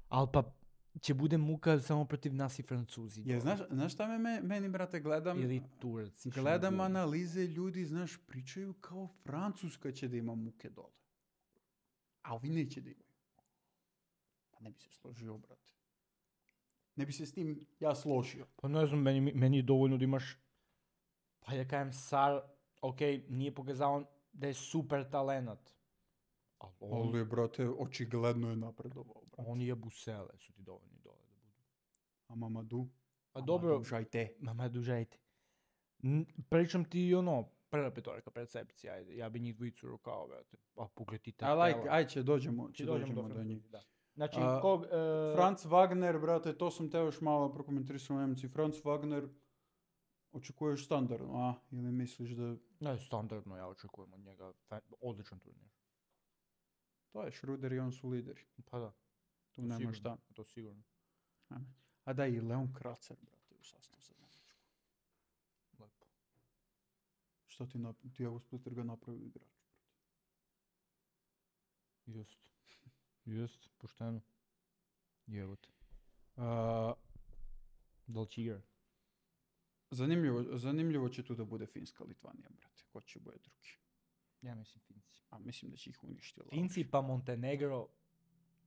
B: Al pa će bude muka samo protiv nas i Francuzi.
A: Je, znaš, znaš šta me, me- meni, brate, gledam,
B: Ili Turci.
A: gledam
B: Šibuli.
A: analize ljudi, znaš, pričaju kao Francuska će da ima muke dole. A ovi neće da imaju. Pa ne bi se složio, brate. Ne bi se s tim ja složio.
B: Pa ne znam, meni, meni je dovoljno da imaš, pa ja kajem Sar, ok, nije pokazao da je super talenat. Ali on,
A: Ali, brate, očigledno je napredovao, brate.
B: on je Busele, su ti dovoljni dole da budu.
A: A Mamadou?
B: Pa dobro,
A: Žajte.
B: mama dužajte. N- Pričam ti ono, prva petorka, percepcija, ajde, ja bi njih dvojicu rukao, brate. Pa pogledaj ti
A: I like, aj će dođemo, će
B: Či dođemo
A: dođemo
B: do
A: do njih.
B: Francuzi, da. Znači,
A: A,
B: kog... e,
A: Franz Wagner, brate, to sam te još malo prokomentarisao u Nemci. Franz Wagner, očekuješ standardno, a? Ili misliš da...
B: Ne, standardno ja očekujem od njega, fa- odličan turnir.
A: To je Schruder i on su lideri.
B: Pa da,
A: Tu nema
B: sigurno,
A: šta.
B: to sigurno.
A: A da, i Leon Kracer, brate, u sastav za Nemačku.
B: Lepo.
A: Šta ti napravio? Tiago Splitter ga napravio igrač.
B: Just. Just, pošteno. Jevo te.
A: A,
B: Da li će igra?
A: zanimljivo, zanimljivo će tu da bude Finska Litvanija, brate. Ko će bude drugi?
B: Ja mislim Finci.
A: A mislim da će ih uništiti.
B: Finci pa Montenegro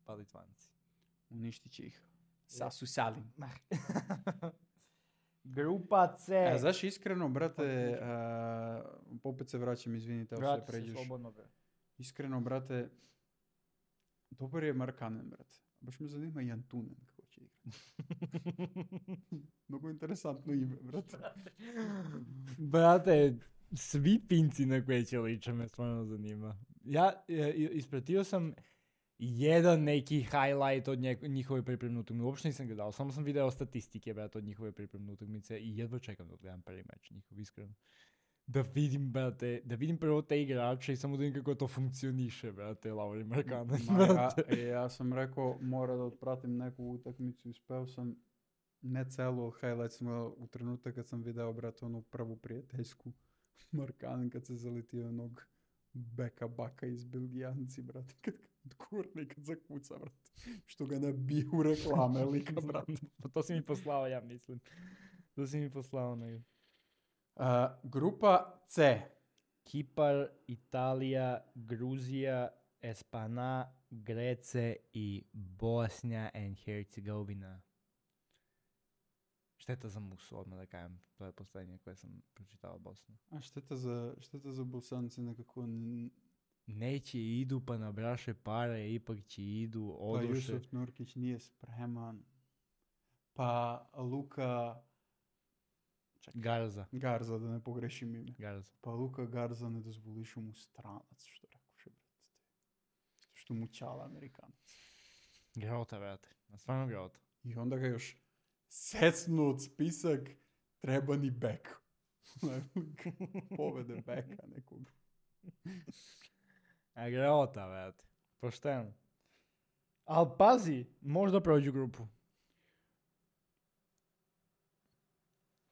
B: pa Litvanci.
A: Uništit će ih. Sasu Salin.
B: Grupa C.
A: E, znaš, iskreno, brate, a, opet se vraćam, izvinite, ako se
B: Vrati se
A: pređeš.
B: slobodno, bre.
A: Iskreno, brate, dobar je Markanen, brate. Baš me zanima i Antunen kako će igrati. Mnogo interesantno ime, brate.
B: Brate, svi Finci na koje će liče me stvarno zanima. Ja e, i- ispratio sam jedan neki highlight od nje- njihove pripremne utakmice. Uopšte nisam gledao, samo sam video statistike, brate, od njihove pripremne utakmice i jedva čekam da gledam prvi meč njihov, iskreno. Da vidim, brate, da vidim prvo te igrače i samo da vidim kako to funkcioniše, brate, Lauri Markkanen,
A: Ma, ja,
B: brate.
A: e, ja sam rekao, mora da otpratim neku utakmicu i speo sam ne celu, ali highlight sam gledao u trenutak kad sam video, brate, onu prvu prijateljsku Markanen kad se zaletio onog beka baka iz Belgijanci, brate, kad kad kurne, kad zakuca, brate, što ga nabiju u reklame lika, brate.
B: Pa to si mi poslao, ja mislim. To si mi poslao, nego.
A: A, grupa C.
B: Kipar, Italija, Gruzija, Espana, Grece i Bosnija and Hercegovina. Šteta za Musu, odmah da kajem. To je poslednje koje sam pročitao od Bosne.
A: A šteta za, šteta za Bosanci nekako... n-
B: Neće idu pa nabraše pare, ipak će idu,
A: Pa
B: odoše.
A: Jusuf Nurkić nije spreman. Pa Luka... Čekaj,
B: Garza,
A: Garza, da ne pogrešim ime.
B: Garza.
A: Pa Luka Garza ne dozvolišu mu stranac, što rekoše, brate. Što mu čala Amerikanac.
B: Grota, brate. Stvarno grota.
A: I onda ga još secnu od spisak treba ni bek. Povede beka nekog.
B: A grota, brate. Pošteno. Al pazi, možda prođu grupu.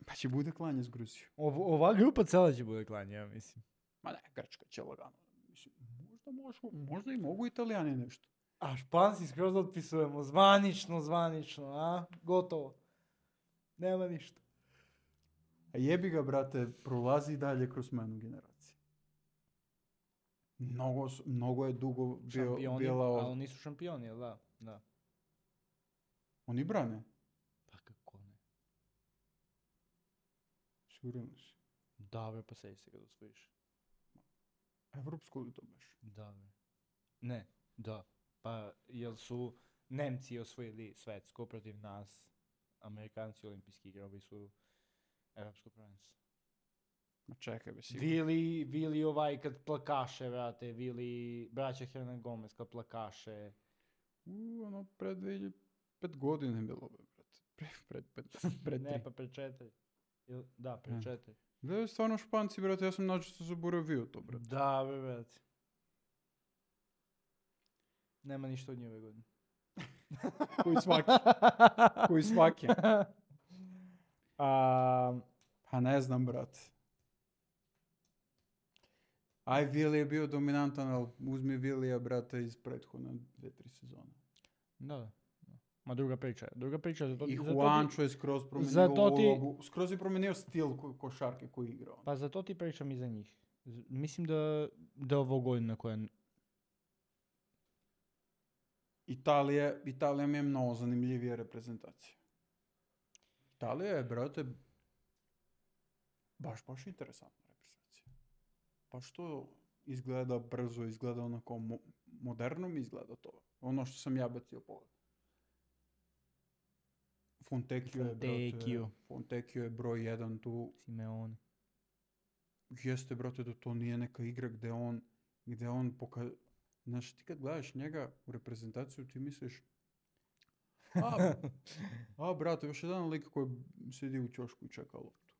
A: Pa će bude klanje s Gruzijom.
B: Ov- ova grupa cela će bude klanje, ja mislim.
A: Ma ne, Grčka će lagano. Mislim, možda, možda, možda i mogu Italijani nešto.
B: A Španci skroz otpisujemo, zvanično, zvanično, a? Gotovo. Nema ništa.
A: A jebi ga, brate, prolazi dalje kroz menu generacije. Mnogo, s- mnogo je dugo bio,
B: Šampioni,
A: bila
B: a
A: ov-
B: oni su šampioni, jel da? Da.
A: Oni brane,
B: Pa kako ne?
A: sigurno si.
B: Da, bre, pa sedi se kad osvojiš.
A: Evropsko li to beš?
B: Da, bre. Ne, da. Pa, jel su Nemci osvojili svetsko protiv nas, Amerikanci olimpijski igrali su evropsko prvenstvo.
A: Ma čekaj be, sigurno.
B: Vili, Vili ovaj kad plakaše, vrate, Vili, braća Hernan Gomez kad plakaše.
A: U, ono, pred dvije hiljade pet godine je bilo, be, brate. Pre, pred, pet, pred
B: Ne,
A: tri.
B: pa pre četiri. Ili- Da, pre
A: Ne.
B: četiri.
A: Gledaju stvarno Španci, brate, ja sam načisto zaboravio to, brate.
B: Da, bre, brate. Nema ništa od nje ove godine.
A: Koji svaki. Koji svaki.
B: A,
A: Pa ne znam, brate. Aj, Vili je bio dominantan, ali uzmi Vilija, brate, iz prethodne dve, tri sezone.
B: Da, da. Ma druga priča je. Druga priča je. Zato,
A: I
B: zato
A: Juancho
B: ti,
A: je skroz promenio
B: zato ti-
A: ulogu, skroz je promenio stil ko- košarke koji igra on.
B: Pa zato ti pričam i za njih. Z- Mislim da, da je ovo godina koja...
A: Italija, Italija mi je mnogo zanimljivija reprezentacija. Italija je, brate, baš, baš interesantna reprezentacija. Baš to izgleda brzo, izgleda onako mo- moderno mi izgleda to. Ono što sam ja bacio pogled. Fontecchio je, brate,
B: Fontecchio.
A: Fontecchio je broj jedan tu.
B: Simeone.
A: Jeste, brate, da to nije neka igra gde on, gde on poka... Znaš, ti kad gledaš njega u reprezentaciju, ti misliš, a, a brate, još jedan lik koji sedi u ćošku i čeka loptu.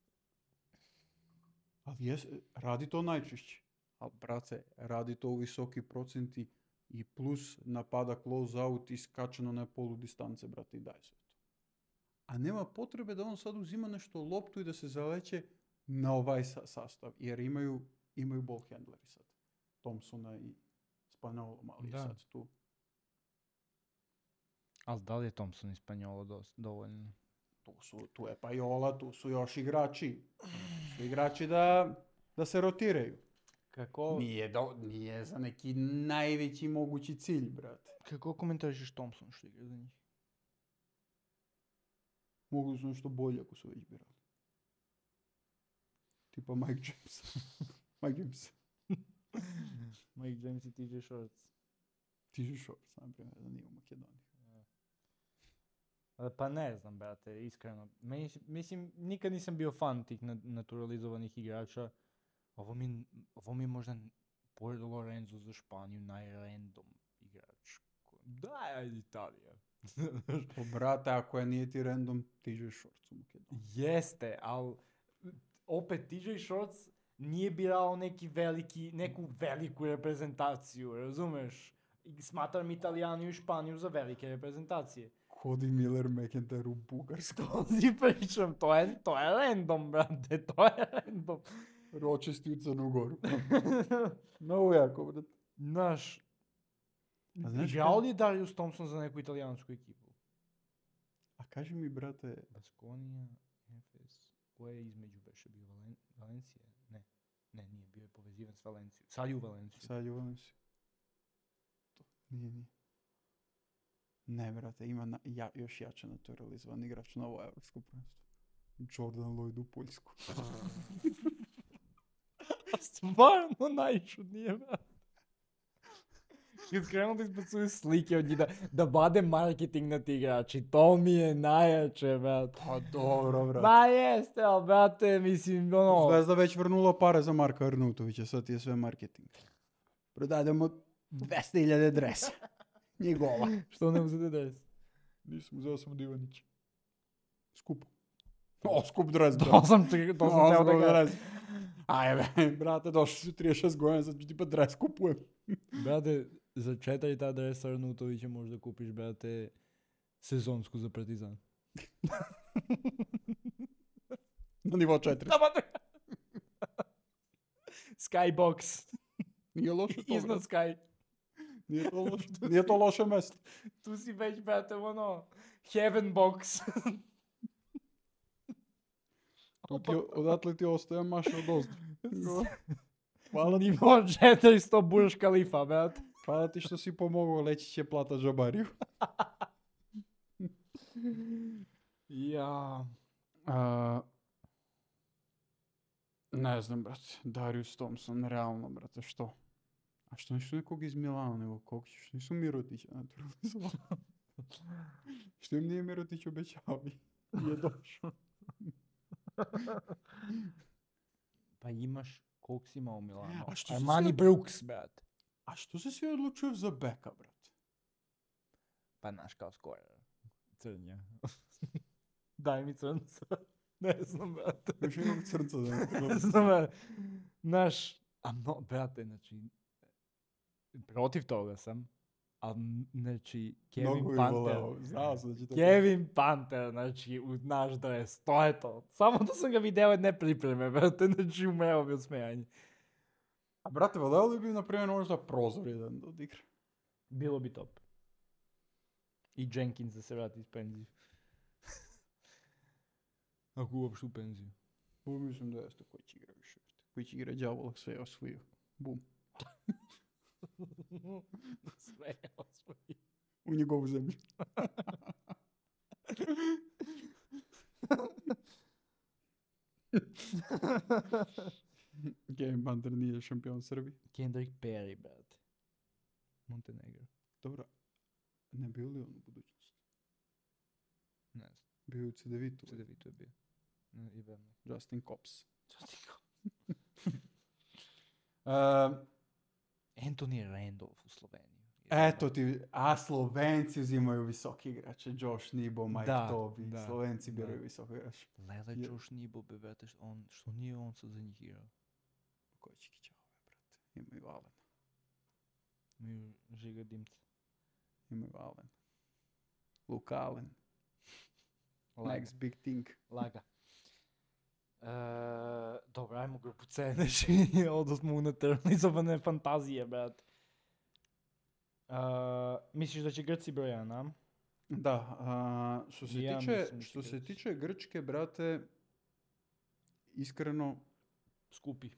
A: Ali jes, radi to najčešće. Ali, brate, radi to u visoki procenti i plus napada close out i skačeno na polu distance, brate, i daj sve to. A nema potrebe da on sad uzima nešto loptu i da se zaleće na ovaj sa- sastav, jer imaju, imaju ball handleri sad. Thompsona i Spaniolom, ali je
B: Da.
A: sad tu.
B: Ali da li je Thompson i Spanjolo dos- dovoljno?
A: Tu, su, tu je Pajola, tu su još igrači. Tu su igrači da, da se rotiraju.
B: Kako,
A: Nije, do, nije za neki najveći mogući cilj, brate.
B: kako komentarišeš Thompson što igra za njih?
A: Mogu da su nešto bolje ako su već birali. Tipa Mike James. Mike James.
B: Mike James i T J Shorts.
A: T J Shorts, na primjer, da nije u Makedoniji.
B: E, Pa ne znam, brate, iskreno. Meni, s- mislim, nikad nisam bio fan tih na- naturalizovanih igrača. Ovo mi, ovo mi je možda, n- pored Lorenzo za Španiju, najrandom igrač. ko- Da, ajde Italija.
A: Po brate, ako je nije ti random, T J Shorts u Makedoniji.
B: Jeste, ali opet T J Shorts nije birao neki veliki, neku veliku reprezentaciju, razumeš? I smatram Italijanu i Španiju za velike reprezentacije.
A: Cody Miller McIntyre u Bugarsku.
B: To ti pričam, to je, to je random, brate, to je random.
A: Ročesti u Crnu Goru. Mnogo jako, brate.
B: Znaš,
A: A znaš
B: igrao
A: kad-
B: li je Darius Thompson za neku italijansku ekipu?
A: A kaži mi, brate,
B: Baskonija, Efes, ko je između beše bio Valen, Valencija? Ne, ne, nije, bio je povezivan s Valencijom. Sad je u Valenciju.
A: sad je vam si. To, nije, nije. Ne, brate, ima na, ja, još jače naturalizovan igrač na ovo evropsko prvenstvo. Jordan Lloyd u Poljsku.
B: Stvarno najčudnije, brate. Kad krenu da izbacuju slike od njih, da, da vade marketing na ti igrači, to mi je najjače, brate.
A: Pa dobro, brate.
B: Ba jeste, ali brate, mislim, ono...
A: Zvezda već vrnula pare za Marka Arnautovića, sad ti je sve marketing. Prodademo dvesta hiljada dresa. Njegova.
B: Što ne uzete dres?
A: Nisam, uzeo sam od Ivanića. Skupo. O, skup dres, brate.
B: To sam, ti- to sam
A: O,
B: teo da
A: skup
B: ga...
A: dres. Ajme, brate, došli su trideset šest godina, sad ću ti pa dres kupujem.
B: Brate, za četiri ta dresa Arnautovića možda kupiš, brate, sezonsku za Partizan.
A: Na nivo četiri.
B: Skybox.
A: Nije loše to,
B: Iznad
A: brate.
B: Sky.
A: Nije to loše, nije to loše mesto.
B: Tu si već, brate, ono, Heaven box.
A: Tu ti, odatle ti ostaje maša od ozdu. Hvala ti,
B: Nivo četiristo Burj Khalifa, brate.
A: hvala ti što si pomogao, leći će plata džabariju.
B: Ja.
A: A, ne znam, brate. Darius Thompson, realno, brate, što? A što nisu nekog iz Milana, nego kog ćeš? Nisu Mirotića naturalizovali. Što im nije Mirotić obećao i nije došao.
B: Pa imaš, koliko si imao u Milanu?
A: A što si
B: Armani
A: sve-
B: Brooks, brate.
A: A što se svi odlučuju za beka, brate?
B: Pa naš kao skorer. Crnja. Daj mi crnca. Ne znam, brate.
A: Još jednog crnca da
B: Ne znam, brate. Naš, a no, brate, znači, protiv toga sam, a znači, Kevin
A: Mnogo bi
B: Panther,
A: voleo. Znao sam da će to
B: Kevin Panther, znači, u naš dres, to je to. Samo da sam ga video jedne pripreme, brate, znači, umeo bi od smejanja.
A: A brate, valeo li bi, na primjer, možda prozor jedan da odigra?
B: Bilo bi top. I Jenkins da se vrati iz penzije. Ako uopšte u penziju.
A: Ovo mislim da jeste koji će igra više. Koji će igra đavola, sve je osvojio. Bum.
B: Sve je osvojio.
A: U njegovu zemlju. Game Banter nije šampion Srbije.
B: Kendrick Perry, brate. Montenegro.
A: Dobro. Ne bio li on u budućnosti?
B: Ne znam.
A: Bio je u C D V-tu.
B: C D V-tu je bio. Ne, i Vemne.
A: Justin Cops.
B: Justin
A: Uh,
B: Anthony Randolph u Sloveniji.
A: eto ti, a Slovenci uzimaju visoki igrače. Josh Nebo, Mike
B: Da,
A: Toby.
B: da,
A: Slovenci
B: da.
A: biraju visoki igrače.
B: Lele
A: Je-
B: Josh Nebo, be, brate, što, on, što nije on sad za njih igrao?
A: Koji će kićave, brate. Imaju Allen.
B: Mi žiga dimca.
A: Imaju Allen. Luke Allen.
B: Laga.
A: Next big thing.
B: Laga. E, dobro, ajmo grupu C, znači, odo smo unutarnji zabane fantazije, brate. E, misliš da će Grci broj jedan, a?
A: Da, a, što se
B: Ja
A: tiče,
B: mislim da će
A: što se
B: Grci.
A: tiče Grčke, brate, iskreno,
B: Skupi.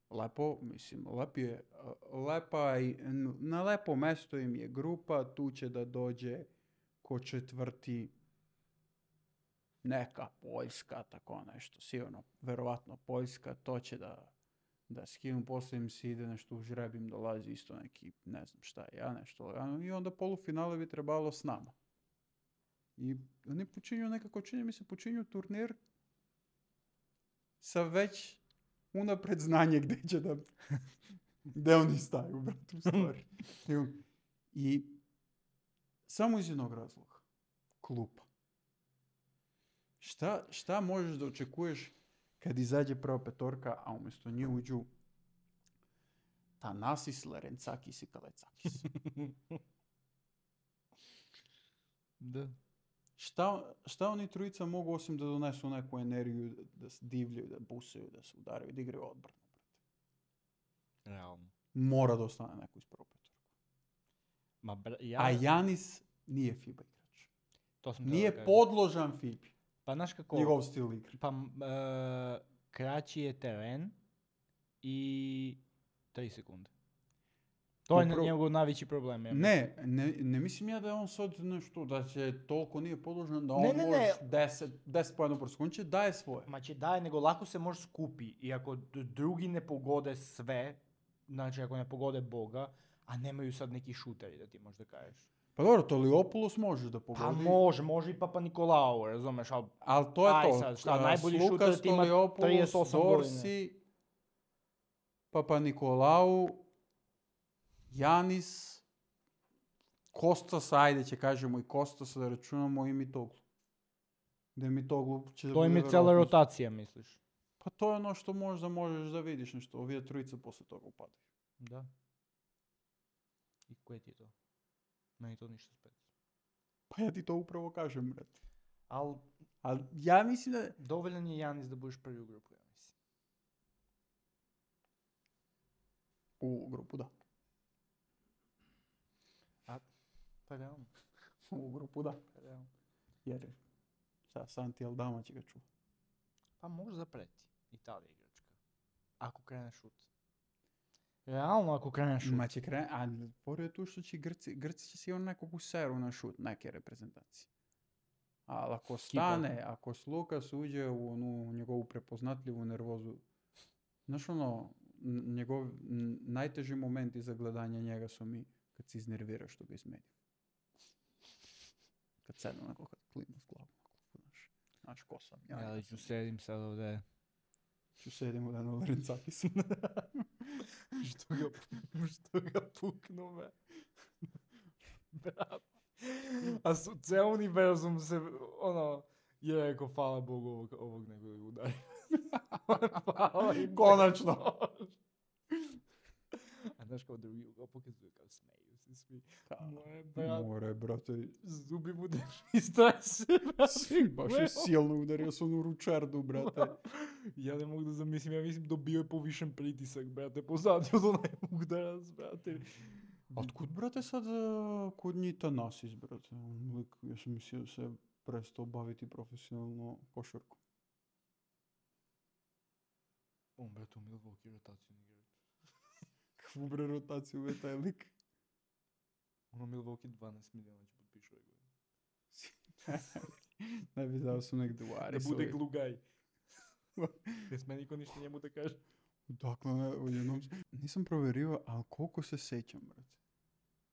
A: lepo, mislim, lep je, a, lepa i n- na lepo mesto im je grupa, tu će da dođe ko četvrti neka Poljska, tako nešto, sigurno, verovatno Poljska, to će da, da skinu, poslije im se ide nešto u žrebim, dolazi isto neki, ne znam šta je, ja nešto lagano, i onda polufinale bi trebalo s nama. I oni počinju nekako, čini mi se, počinju turnir sa već unapred znanje gdje će da, gdje oni staju, brate, u stvari. I samo iz jednog razloga. Klupa. Šta, šta možeš da očekuješ kad izađe prva petorka, a umjesto nje uđu Thanasis, Larencakis i Kalecakis?
B: Da.
A: Šta, šta oni trojica mogu osim da donesu neku energiju, da se divljaju, da busaju, da se udaraju, da igraju odbranu?
B: Realno.
A: Mora da ostane neko iz prve petorke.
B: Ma, bra, ja,
A: A Janis nije FIBA igrač.
B: to sam teo da
A: Nije
B: kažem.
A: podložan FIBI.
B: Pa znaš kako,
A: Njegov stil igre.
B: pa m, e, kraći je teren i tri sekunde. To je
A: Upro-
B: njegov najveći problem. Ja mislim.
A: Ne, ne, ne mislim ja da je on sad nešto, da će toliko nije podložan, da on
B: Ne, ne, ne.
A: može deset, deset pojena po sekundu, daje svoje.
B: Ma će daje, nego lako se može skupi. I ako d- drugi ne pogode sve, znači ako ne pogode Boga, a nemaju sad neki šuteri da ti možda kažeš.
A: Pa dobro, to Liopoulos može da
B: Pa
A: pogodi.
B: može, može i Papa Nikolao, razumeš, ali
A: Ali to je
B: Aj
A: to.
B: sad, šta,
A: A,
B: najbolji
A: Lukas
B: šuter ti ima
A: Stoliopoulos,
B: trideset osam godina.
A: Dorsi, Papa Nikolau, Janis, Kostas, ajde će kažemo i Kostas, da računamo i Mitoglu. Da je Mitoglu će da
B: to im
A: bude
B: je cijela
A: verovatno-
B: rotacija, misliš?
A: Pa to je ono što možda možeš da vidiš nešto, ovdje trojica posle toga upadaju.
B: Da. I koje ti je to? Meni to ništa specijalno.
A: Pa ja ti to upravo kažem, brate.
B: Ali
A: Ali ja mislim da...
B: dovoljan je Janis da budeš prvi u grupu, ja mislim.
A: U grupu da.
B: Pa realno,
A: U grupu da.
B: pa realno.
A: Jer šta, Santi Aldama će ga čuva.
B: Pa može zapreti. Italija igračka. Ako krene šut. Realno ako krene šut.
A: Ma će kren... A pored je tu što će Grci... Grci će sigurno nekog useru na šut, neke reprezentacije. Ali ako stane, ako s Lukas uđe u onu njegovu prepoznatljivu nervozu, znaš ono, n- njegov n- najteži momenti za gledanje njega su mi kad se iznervira što ga izmeni. Kad sedne onako, kad klima s glavom. Znaš, znaš ko sam ja.
B: Ja
A: ja
B: ću
A: sam-
B: sedim sad ovdje.
A: Ću sedim u danu Larencakis.
B: što ga, što ga puknu, me. Brat. A su, ceo univerzum se, ono, je rekao, hvala Bogu ovog, ovog nego da ga udari. Hvala im.
A: Konačno.
B: A A znaš kao drugi ugao pokazuje kao smeju se svi.
A: Da.
B: Moje, brat,
A: More, brate.
B: zubi mu da i stres.
A: Baš je silno udario se onu ručardu, brate.
B: Ja ne mogu da zamislim, ja mislim dobio je povišen pritisak, brate, posadio do onaj udarac, brate.
A: Otkud, brate, sad uh, kod njih Tanasis, brate? On lik, ja sam mislio da se prestao baviti profesionalno košarkom.
B: On, brate, u Milwaukee rotaciju ne igra.
A: Kakvu bre rotaciju je taj lik?
B: Ono Milwaukee dvanaest miliona će potpišu ove godine.
A: Ne bi dao su negdje u
B: Da
A: Arisovi.
B: bude glugaj. Ne sme niko ništa njemu da kaže.
A: Dakle, ne, odjednom... Nisam proverio, ali koliko se sećam, brate.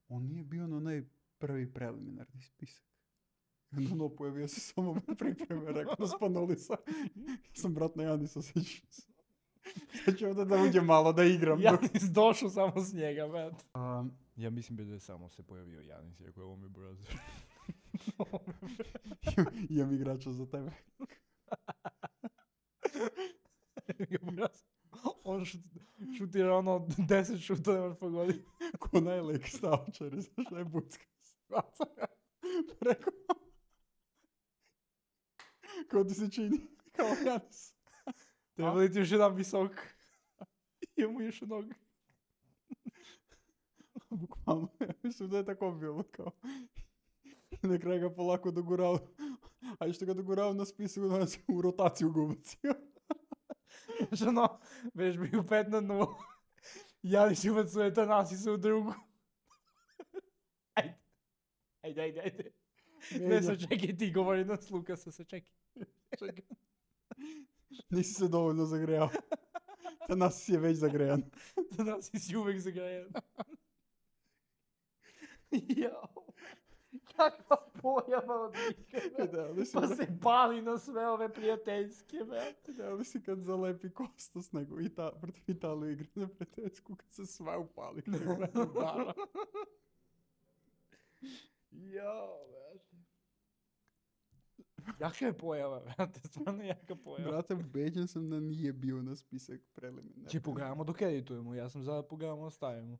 A: On nije bio na onaj prvi preliminarni spisak. I onda ono pojavio se samo na pripreme, rekao na Spanolisa. Sam brat na Janisa, sećam se. Sad ću ovdje da uđem malo da igram.
B: Janis došao samo s njega, brate.
A: Um,
B: Ja mislim da je samo se pojavio Janis, rekao je ovo mi brother.
A: imam igrača za tebe.
B: On šut, šutira ono deset šuta, ne može pogoditi.
A: Ko najlek stavčar, znaš, najbucka stvaca. Preko. Ko ti se čini? Kao Janis.
B: Treba li ti još jedan visok? Imamo još jednog.
A: Bukvalno, ja mislim da je tako bilo kao. Na kraju ga polako dogurao. A i što ga dogurao na spisu, nas u rotaciju ga ubacio.
B: Znaš ono, već bi u pet na nulu. Janis ubacuje Tanasisa u drugu. Ajde. Ajde, ajde, ajde. Ne se čekaj, ti govori nas Lukasa, se čekaj. Čekaj.
A: Nisi se dovoljno zagrejao. Tanas je već zagrejan.
B: Tanasis je uvek zagrejan. Jao. Kakva pojava od njega.
A: Da, ali si,
B: Pa se pali na sve ove prijateljske, brate.
A: da, ali si kad zalepi Kostas nego i ta, protiv Italiju igre na prijateljsku, kad se sve upali. Da.
B: Jao, brate. Jaka je pojava, brate, stvarno jaka pojava.
A: Brate, ubeđen sam da nije bio na spisak preliminarni.
B: Če pogledamo dok editujemo, ja sam za da pogledamo ostavimo.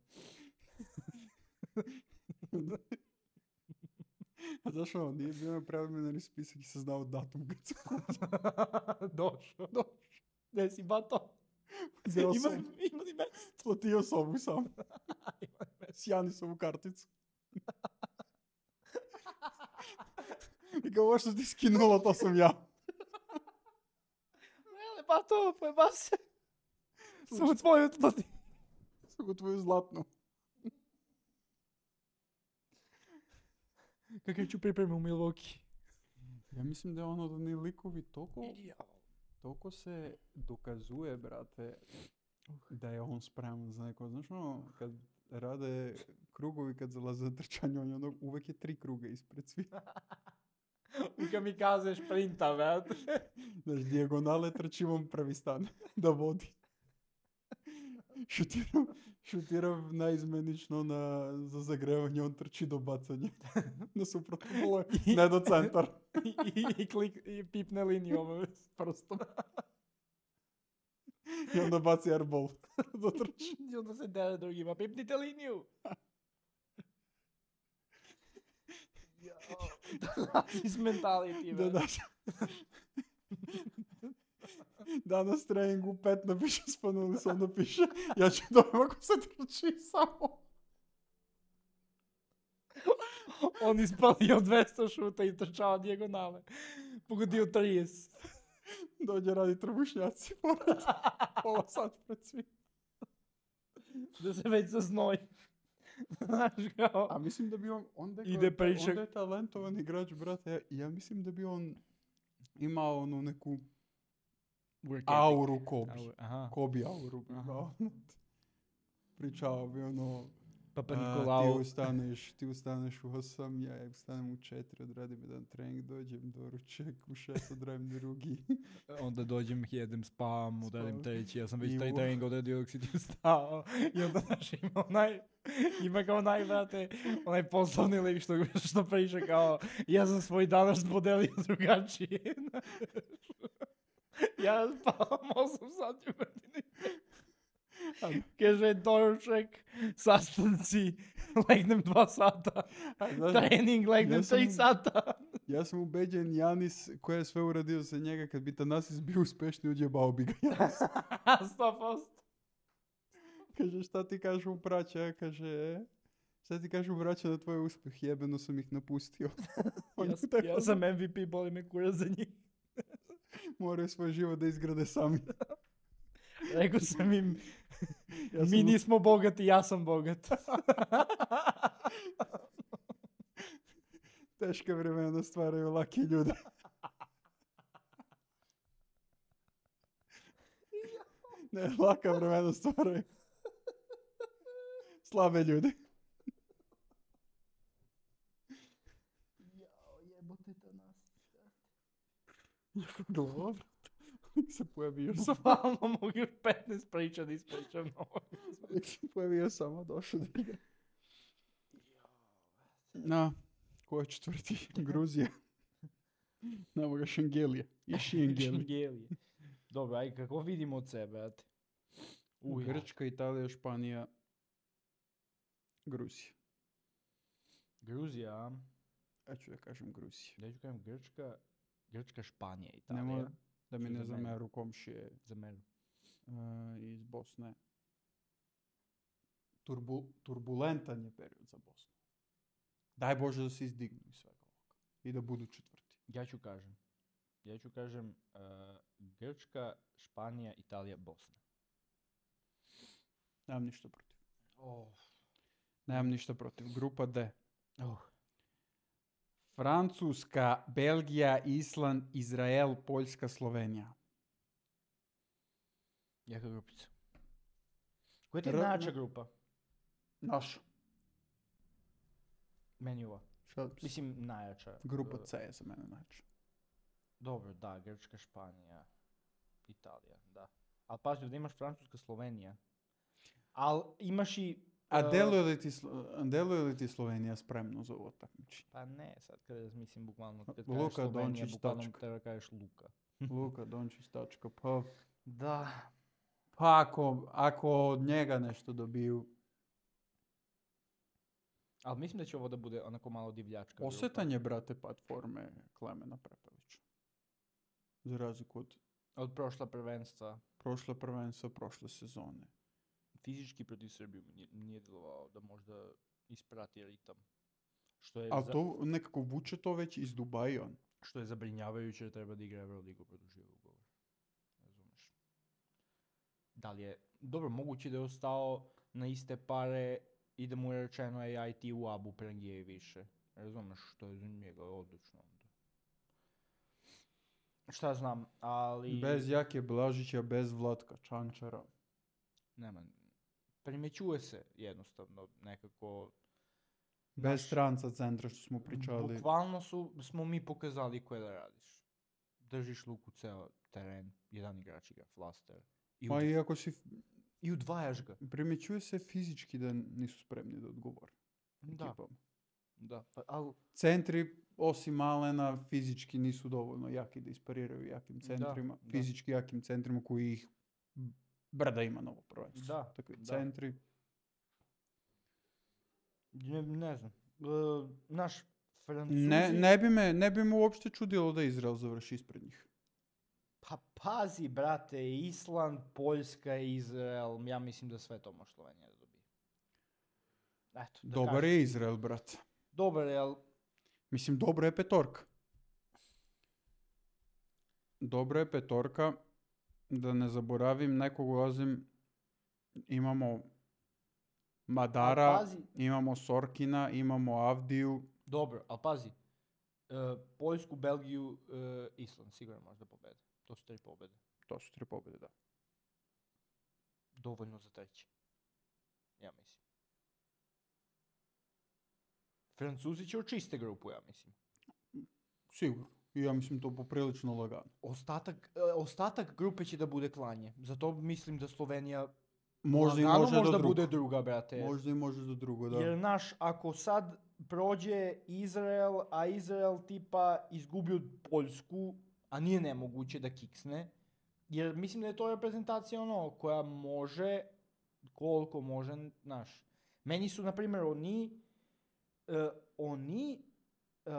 A: A znaš ono, nije bio na preliminarni spisak i se znao datum kad se
B: Došao. Došao. Gdje si bato?
A: Zeo
B: Ima,
A: sam,
B: ima li mesta?
A: platio sobu sam.
B: Ima li mesta?
A: S Janisovu karticu. I kao ovo što ti skinulo, to sam ja.
B: Mele, bato, pojeba se. Samo tvoju otplati.
A: Samo tvoju zlatnu.
B: Kakav ću pripremu u Milwaukee?
A: Ja mislim da je ono da ni likovi toliko,
B: Jao.
A: toliko se dokazuje, brate, da je on spreman za neko. Znaš ono, kad rade krugovi, kad zalaze na trčanje, on je ono, uvek je tri kruga ispred svih.
B: U kamikaze šprinta, brate.
A: Znaš, dijagonale trčimom prvi stan da vodi. Šutiram, šutiram naizmenično na, za zagrevanje, on trči do bacanja. Na suprotno polo, ne do centar.
B: I, i, i, klik, i pipne liniju ovo s prstom.
A: I onda baci airball. Da trči.
B: I onda se dere drugima, pipnite liniju. Iz mentality,
A: Da,
B: brate.
A: da. Danas treningu pet napiše Spanuli, sam napiše ja ću dojem ako se trči samo.
B: On ispalio dvesta šuta i trčao dijagonale. Pogodio trideset.
A: Dođe radi trbušnjaci pored. Pola sat pred svim.
B: Da se već zaznoj. Znaš kao...
A: A mislim da bi on, onda je,
B: Ide
A: kao-
B: priča-
A: onda je talentovan igrač, brate. Ja, ja mislim da bi on imao onu neku auru Kobe.
B: Aur- Aha.
A: Kobe auru bi imao. Pričao bi ono,
B: Papa
A: a, ti
B: Nikolao.
A: ustaneš, ti ustaneš u osam, ja ustanem u četiri, odradim jedan trening, dođem do ruček, u šest odradim drugi.
B: Onda dođem, jedem, spavam, udarim
A: Spavam.
B: treći, ja sam već
A: I
B: taj
A: u-
B: trening odradio dok si ti ustao. I onda, znaš, ima onaj, ima kao onaj, brate, onaj poslovni lik što, što priča kao, ja sam svoj danas podelio drugačije. Ja spavam osam sati u godini. Kaže doručak, sastanci, legnem dva sata,
A: Znaš,
B: trening, legnem
A: ja sam-
B: tri sata.
A: ja sam ubeđen Janis koji je sve uradio za njega, kad bi Tanasis bio uspešni, uđebao bi ga Janis.
B: sto posto.
A: Kaže, šta ti kažu braća? Kaže, e? Šta ti kažu braća na tvoj uspjeh? Jebeno sam ih napustio. On
B: Ja,
A: je tako,
B: ja sam M V P, boli me kurac za njih.
A: moraju svoj život da izgrade sami.
B: Rekao sam im,
A: Ja sam-
B: mi nismo bogati, ja sam bogat.
A: Teška vremena stvaraju laki ljude. Ne, laka vremena stvaraju slabe ljude.
B: Jebote to nas.
A: Dobro. Se pojavio sam.
B: Bukvalno mogu još petnaest priča da ispričam.
A: Se pojavio sam, a došao da igra. Na, ko je četvrti? Gruzija. Nemo ga Šengelije. I Šengelije.
B: Šingelije. Dobro, aj kako vidimo od sebe, brate? Uj,
A: Grčka, Italija, Španija, Gruzija.
B: Gruzija, a?
A: Ja ću da kažem Gruzija.
B: Da ću kažem Grčka, Grčka, Španija, Italija.
A: Nemoj da mi
B: Što
A: ne
B: za mene?
A: zameru komšije
B: Za mene.
A: uh, iz Bosne. Turbu, turbulentan je period za Bosnu. Daj Bože da se izdignu iz svega ovoga. I da budu četvrti.
B: Ja ću kažem. Ja ću kažem uh, Grčka, Španija, Italija, Bosna.
A: Nemam ništa protiv.
B: Oh.
A: Nemam ništa protiv. Grupa D.
B: Oh.
A: Francuska, Belgija, Island, Izrael, Poljska, Slovenija.
B: Jaka grupica. Koja ti je
A: R-
B: najjača grupa?
A: Naša.
B: Meni ova.
A: Šta?
B: Mislim, najjača.
A: Grupa
B: Uh,
A: C je za mene najjača.
B: Dobro, da, Grčka, Španija, Italija, da. Ali pazi, da imaš Francuska, Slovenija. Ali imaš i...
A: A
B: uh,
A: deluje li ti, Slo- a deluje li ti Slovenija spremno za ovo takmičenje?
B: Pa ne, sad kada razmislim bukvalno, kad
A: Luka
B: kažeš Slovenija,
A: Dončić,
B: bukvalno
A: tačka.
B: treba kažeš Luka.
A: Luka Dončić, tačka. Pa,
B: Da.
A: pa ako, ako od njega nešto dobiju.
B: Ali mislim da će ovo da bude onako malo divljačka grupa.
A: Osjetan je, brate, pad forme Klemena Prepelića. Za razliku od
B: Od prošla prvenstva.
A: prošle prvenstva, prošle sezone.
B: Fizički protiv Srbiju mi nije, nije djelovao da možda isprati ritam. Što je,
A: Ali
B: za-
A: to nekako vuče to već iz Dubaja on.
B: što je zabrinjavajuće, jer treba da igra Euroligu produžio ugovor. Razumeš? Da li je... Dobro, moguće da je ostao na iste pare i da mu je rečeno ej, aj ti u Abu Prangije više. Razumeš, što je za njega odlično onda. Šta znam, ali...
A: Bez Jake Blažića, bez Vlatka Čančara.
B: Nema, primećuje se jednostavno nekako...
A: Bez
B: naš-
A: stranca centra što smo pričali.
B: Bukvalno su, smo mi pokazali koje da radiš. Držiš luku ceo teren, jedan igrač igra flaster. I,
A: Pa
B: ud-
A: iako si,
B: i udvajaš ga.
A: primjećuje se fizički da nisu spremni da odgovore
B: Da,
A: ekipama.
B: da. Pa, al,
A: Centri, osim Malena, fizički nisu dovoljno jaki da ispariraju jakim centrima.
B: da.
A: Fizički jakim centrima koji ih brda ima novo prvenstvo.
B: Da,
A: Takvi
B: da.
A: centri.
B: ne, ne znam. Uh, naš Francuzi...
A: Ne, ne, bi me, ne bi me uopšte čudilo da Izrael završi ispred njih.
B: Pa pazi, brate, Island, Poljska, Izrael, ja mislim da sve to može Slovenija da dobije. Eto, da
A: Dobar
B: kažem.
A: je Izrael, brate.
B: Dobar je, ali
A: Mislim, dobra je petorka. Dobra je petorka. Da ne zaboravim, nekog ulazim. Imamo Madara,
B: Al pazi.
A: imamo Sorkina, imamo Avdiju.
B: dobro, ali pazi. Uh, Poljsku, Belgiju, uh, Island, sigurno može da pobede. To su tri pobede.
A: To su tri pobjede, da.
B: Dovoljno za treći. Ja mislim. Francuzi će očiste grupu, ja mislim.
A: Sigurno. I ja mislim to poprilično lagano.
B: Ostatak, e, ostatak grupe će da bude klanje. Zato mislim da Slovenija
A: Možda i
B: lagano
A: može
B: možda
A: do drugo.
B: bude druga, brate.
A: Možda i može do drugo, da.
B: Jer, naš, ako sad prođe Izrael, a Izrael tipa izgubi od Poljsku, a nije nemoguće da kiksne, jer mislim da je to reprezentacija ono koja može koliko može, znaš. Meni su, na primjer, oni, uh, oni, uh,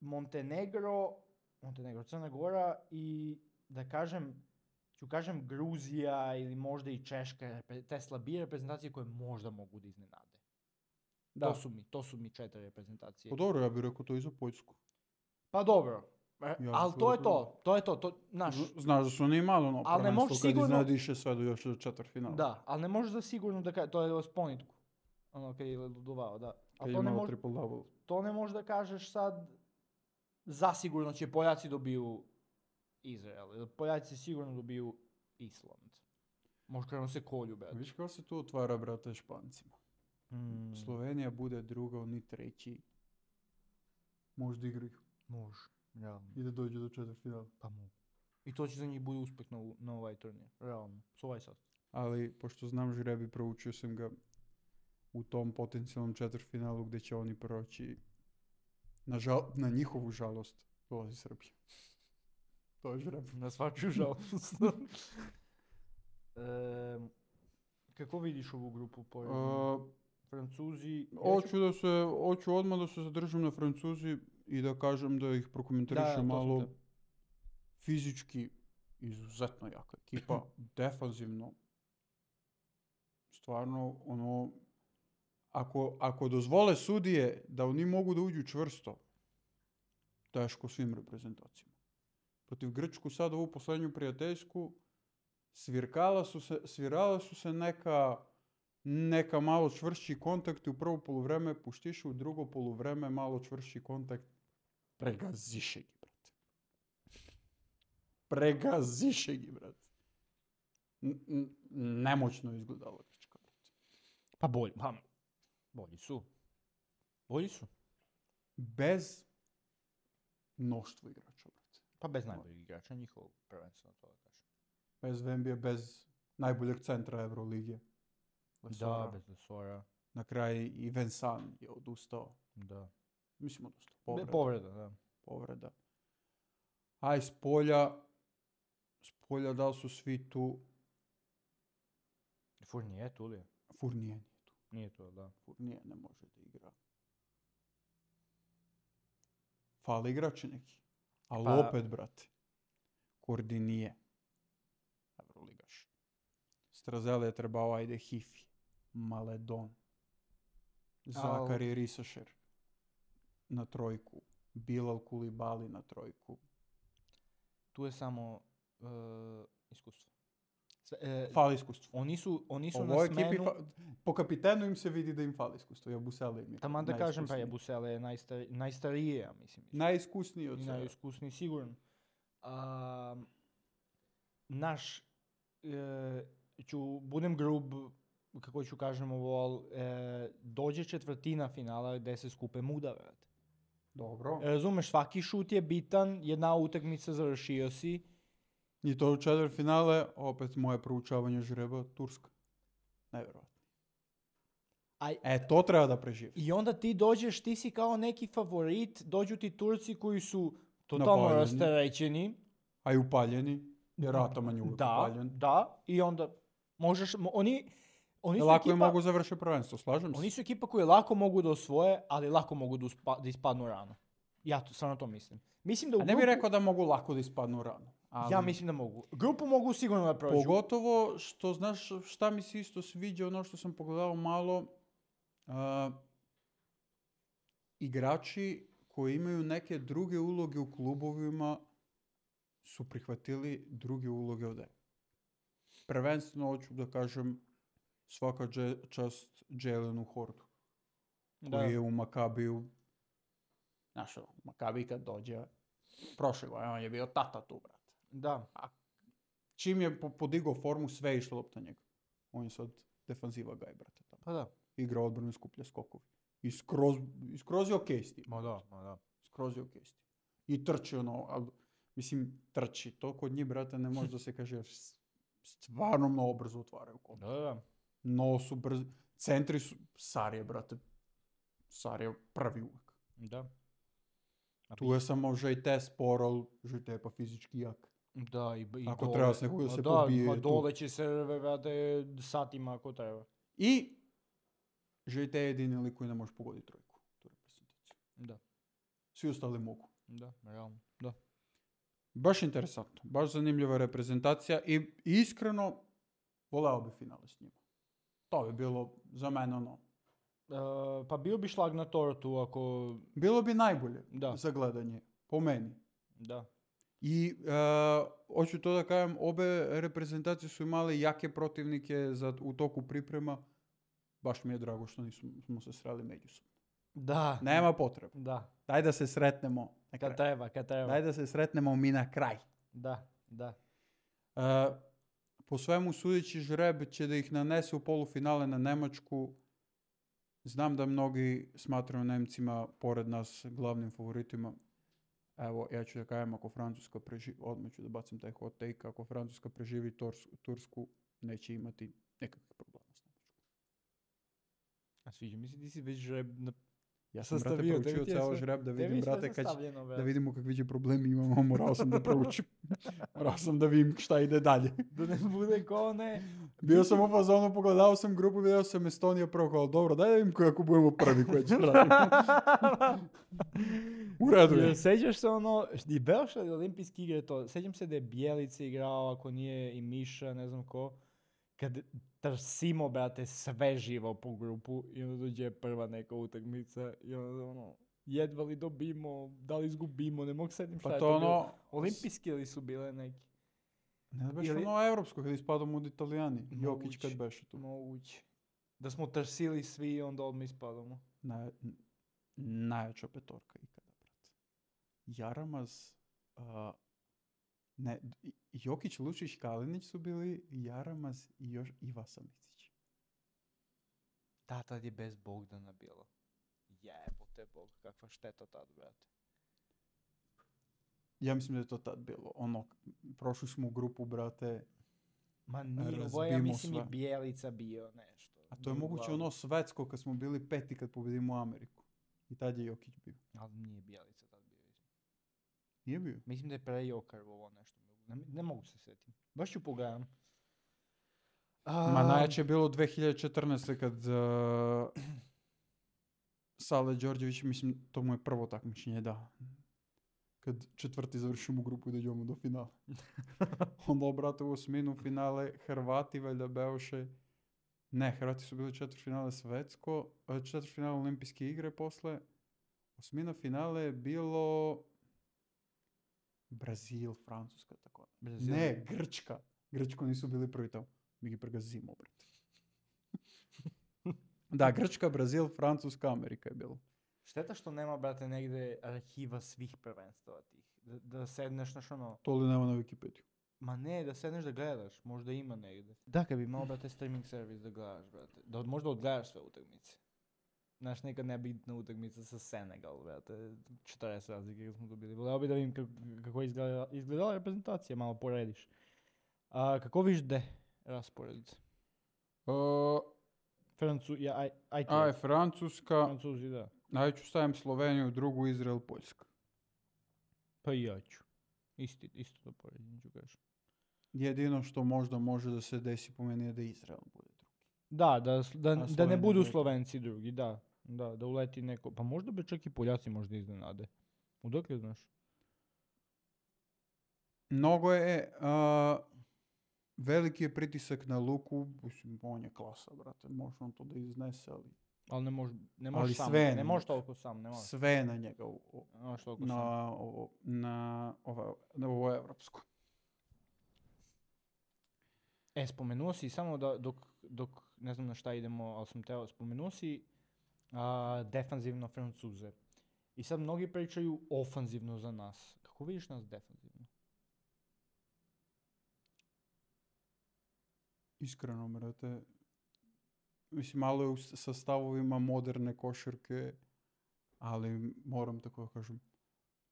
B: Montenegro, Montenegro, Crna Gora i, da kažem, ću kažem Gruzija ili možda i Češka, te slabije reprezentacije koje možda mogu da iznenade.
A: Da.
B: To su mi, to su mi četiri reprezentacije.
A: Pa dobro, ja bih rekao to i za Poljsku.
B: Pa dobro, e,
A: Ja
B: ali
A: to
B: to je
A: znam.
B: to, to je to, to, znaš,
A: Z- Znaš da su oni malo ono
B: Ali ne
A: prvenstvo
B: možeš
A: kad
B: sigurno-
A: iznadiše sve do još do četvrtfinala.
B: da, ali ne možeš da sigurno da kažeš, to je sponitku, ono kad je ludovao, da.
A: Kad
B: Ali
A: je
B: to ne,
A: imao
B: mož,
A: triple double.
B: to ne možeš da kažeš sad, zasigurno će Poljaci dobiju Izrael, ili Poljaci sigurno dobiju Island. Možda krenu se kolju, brate.
A: Viš kako se tu otvara, brate, Špancima.
B: Mm,
A: Slovenija bude druga, oni treći. Možda igraju.
B: može, realno,
A: I da dođu do četvrtfinala.
B: pa mogu. I to će za njih bude uspeh na, u- na ovaj turnir, realno, s ovaj sastav.
A: Ali, pošto znam žrebi, proučio sam ga u tom potencijalnom četvrtfinalu gdje će oni proći. Na, žal, na njihovu žalost dolazi Srbija. To je žreb.
B: Na svačiju žalost. Em, kako vidiš ovu grupu po
A: Uh,
B: Francuzi?
A: hoću da se, hoću odmah da se zadržim na Francuzi i da kažem da ih prokomentarišem
B: Da, to sam
A: malo.
B: te-
A: Fizički izuzetno jaka ekipa, defanzivno. Stvarno, ono, ako, ako dozvole sudije da oni mogu da uđu čvrsto, teško svim reprezentacijama. Protiv Grčku sad ovu posljednju prijateljsku, svirkala su se, svirala su se neka, neka malo čvršći kontakti u prvo poluvreme, puštiše u drugo poluvreme malo čvršći kontakt, pregaziše gi, brate. Pregaziše gi, brate. N- n- nemoćno izgledala Grčka, brate.
B: Pa bolji, pa bolji su. Bolji su.
A: Bez mnoštva igrača, brate.
B: Pa bez najboljih igrača njihovog prvenstveno to da kažem.
A: Bez Vembija, bez najboljeg centra Evrolige.
B: Da,
A: Lesora.
B: bez Lesora.
A: Na kraju i Vensan je odustao.
B: Da.
A: Mislim odustao.
B: Be-
A: Povreda.
B: Povreda, da.
A: Povreda. A iz polja, s polja da li su svi tu,
B: Fournier tu li je?
A: Fournier nije tu.
B: Nije to, da.
A: Fournier ne može da igra. Fali igrači neki. Ali
B: Pa-
A: opet, brate, Kordinije, Evroligaš. Strazele je trebao, ajde, Hifi, Maledon, Zakari Risašer na trojku, Bilal Kulibali na trojku.
B: Tu je samo uh, iskustvo. Sve, e,
A: Fali iskustvo.
B: oni su, oni su
A: Ovoj
B: na
A: ekipi,
B: smenu...
A: fa- po kapitenu im se vidi da im fali iskustvo. Jabusele im je
B: Taman da kažem, pa
A: najiskusniji.
B: Jabusele je najstar, najstarije, ja mislim. isto.
A: Najiskusniji od
B: I
A: svega.
B: najiskusniji, sigurno. A, naš, e, ću, budem grub, kako ću kažem ovo, ali e, dođe četvrtina finala gde se skupe muda, vrate.
A: Dobro.
B: Razumeš, svaki šut je bitan, jedna utakmica završio si.
A: I to u četvrtfinale, opet moje proučavanje žreba, Turska. Nevjerojatno.
B: Aj,
A: E, to treba da preživi.
B: I onda ti dođeš, ti si kao neki favorit, dođu ti Turci koji su totalno
A: Napaljeni.
B: rasterećeni.
A: A i upaljeni, jer Ataman je uvijek
B: Da,
A: upaljen.
B: da, i onda možeš, mo- oni, oni su
A: Lako je
B: ekipa,
A: mogu završiti prvenstvo, slažem se.
B: oni su ekipa koju lako mogu da osvoje, ali lako mogu da, uspa- da ispadnu rano. Ja to, stvarno to mislim. Mislim da u
A: A ne bih
B: grupu-
A: rekao da mogu lako da ispadnu rano. Ali
B: ja mislim da mogu. Grupu mogu sigurno da prođu.
A: pogotovo što, znaš, šta mi se isto sviđa, ono što sam pogledao malo, a, igrači koji imaju neke druge uloge u klubovima su prihvatili druge uloge ovdje. Prvenstveno hoću da kažem svaka dže- čast Jalenu Hordu,
B: Da.
A: koji je u Makabiju, znaš, u Makabiji kad dođe, prošle godine on je bio tata tu, brate.
B: Da.
A: Čim je po- podigao formu, sve je išlo lopta njega. On je sad defanziva gaj, brate, tamo.
B: Pa da.
A: Igra odbranu i skuplja skokovi. I skroz, i skroz je okej s tim.
B: Ma da, ma da.
A: Skroz je okej s tim. I trči ono, ali, mislim, trči. To kod njih, brate, ne može da se kaže, jer s- stvarno mnogo brzo otvaraju kontakt.
B: Da, da.
A: No su brzi. Centri su, Sar je, brate, Sar je prvi uvek.
B: Da. A
A: Tu je samo Žejte sporo, ali Žejte je pa fizički jak.
B: Da, i, i
A: Ako
B: dole.
A: treba s nekog da
B: Ma
A: se
B: da,
A: pobije
B: ma
A: tu.
B: dole će se, brate, satima ako treba.
A: I Žite je jedini lik koji ne može pogoditi trojku. Tu reprezentaciju.
B: Da,
A: Svi ostali mogu.
B: da, realno, da.
A: Baš interesantno. Baš zanimljiva reprezentacija i iskreno voleo bi finale s njima. To bi bilo za mene ono.
B: E, pa bio bi šlag na tortu ako...
A: Bilo bi najbolje
B: Da.
A: za gledanje. Po meni.
B: Da.
A: I e, hoću to da kažem, obe reprezentacije su imale jake protivnike za, u toku priprema. Baš mi je drago što nismo se sreli međusobno.
B: Da.
A: Nema potrebe.
B: Da.
A: Daj da se sretnemo na kraj.
B: Kad treba, kad treba.
A: Daj da se sretnemo mi na kraj.
B: Da, da.
A: E, po svemu sudeći žreb će da ih nanese u polufinale na Nemačku. Znam da mnogi smatraju Nemcima pored nas glavnim favoritima. Evo, ja ću da kažem, ako Francuska preživi, odmah ću da bacim taj hot take, ako Francuska preživi Tors, Tursku, neće imati nekakvih problema s Nemačkom.
B: A sviđa mi se, ti si već žreb na...
A: Ja sam, brate,
B: Sastavio,
A: proučio
B: tebi ti je
A: ceo
B: sve-
A: žreb da
B: tebi je
A: vidim,
B: sve
A: brate, kad će,
B: sastavljeno, brate.
A: da vidimo kakvi će problemi imamo, morao sam da proučim. Morao sam da vidim šta ide dalje.
B: Da ne bude ko ne...
A: Bio sam u fazonu, pogledao sam grupu, vidio sam Estonija prvo, kao, dobro, daj da vidim kako budemo prvi koji će raditi. U redu je.
B: Jel sećaš se ono, i Belša olimpijski igre to, sećam se da je Bjelica igrao, ako nije i Miša, ne znam ko, kad trsimo, brate, sve živo po grupu i onda dođe prva neka utakmica i onda ono, jedva li dobimo, da li izgubimo, ne mogu sedim šta
A: Pa
B: je
A: to
B: to bilo.
A: ono,
B: Olimpijski li su bile neki?
A: ne da beše
B: ili-
A: ono evropsko, kad ispadamo od Italijani. Jokić
B: Moguće.
A: kad beše tu.
B: Moguće. Da smo trsili svi i onda odmah ispadamo.
A: Naj, n- najjača petorka ikada, brate. Jaramaz, a, ne, i- Jokić, Lučić, Kalinić su bili, Jaramaz i još i Vasa Micić.
B: Da, tad je bez Bogdana bilo. Jebote Bog, kakva šteta tad, brate.
A: Ja mislim da je to tad bilo. Ono, prošli smo u grupu, brate,
B: Ma nije, ovo je, ja
A: Razbijmo
B: mislim,
A: sve.
B: i Bjelica bio nešto.
A: a to je
B: Nije
A: moguće
B: glavno.
A: ono svetsko kad smo bili peti kad pobedimo Ameriku. I tad je Jokić bio.
B: Ali nije Bjelica tad bio. Mislim,
A: Nije bio?
B: mislim da je pre Jokar ovo nešto. Ne, ne mogu se sjetiti. Baš ću pogledam.
A: Ma najjače je bilo dve hiljade četrnaeste kad uh, Sale Đorđević, mislim, to mu je prvo takmičenje, da. Kad četvrti završimo grupu i dođemo do finala. Onda, brate, u osminu finale Hrvati, valjda beoše. Ne, Hrvati su bili četvrtfinale svetsko, e, četvrtfinale olimpijske igre posle. Osmina finale je bilo Brazil, Francuska, tako.
B: Brazil.
A: Ne, Grčka. Grčko nisu bili prvi tamo. Mi gi pregazimo, brate. Da, Grčka, Brazil, Francuska, Amerika je bilo.
B: Šteta što nema, brate, negde arhiva svih prvenstava tih. Da, da sedneš, znaš ono,
A: To li nema na Wikipediju.
B: ma ne, da sedneš da gledaš, možda ima negde. Da, kad bi imao, brate, streaming servis da gledaš, brate. Da od- možda odgledaš sve utakmice. Znaš, neka nebitna utakmica sa Senegal, brate, četrdeset razlike kad smo dobili. Voleo bi da vidim kako, kako je izgleda, izgledala reprezentacija, malo porediš. A, kako viš de raspored?
A: Uh,
B: Francu, ja, aj, aj, ti,
A: aj, Francuska,
B: Francuzi, da.
A: aj ću stavim Sloveniju, drugu Izrael, Poljska.
B: Pa i ja ću. Isti, isto da poredim ću kažem.
A: Jedino što možda može da se desi po meni je da Izrael bude drugi.
B: Da, da, s- da, da ne
A: Slovenija
B: budu
A: drugi.
B: Slovenci drugi, da. Da, da uleti neko, pa možda bi čak i Poljaci možda iznenade. Udokle znaš?
A: Mnogo je, uh, veliki je pritisak na Luku, mislim, on je klasa, brate, može on to da iznese, ali
B: Ali ne može, ne
A: Ali
B: može sam,
A: sve
B: ne
A: na
B: može
A: njega.
B: toliko sam, ne može.
A: sve je na njega, u, u-
B: Ne može toliko sam.
A: na, ovo, na, ova, na ovo evropsko.
B: E, spomenuo si samo da dok, dok ne znam na šta idemo, ali sam teo, spomenuo si a, defanzivno Francuze. I sad mnogi pričaju ofanzivno za nas. Kako vidiš nas defanzivno?
A: Iskreno, brate, mislim, malo je u s- sa stavovima moderne košarke, ali moram tako da kažem,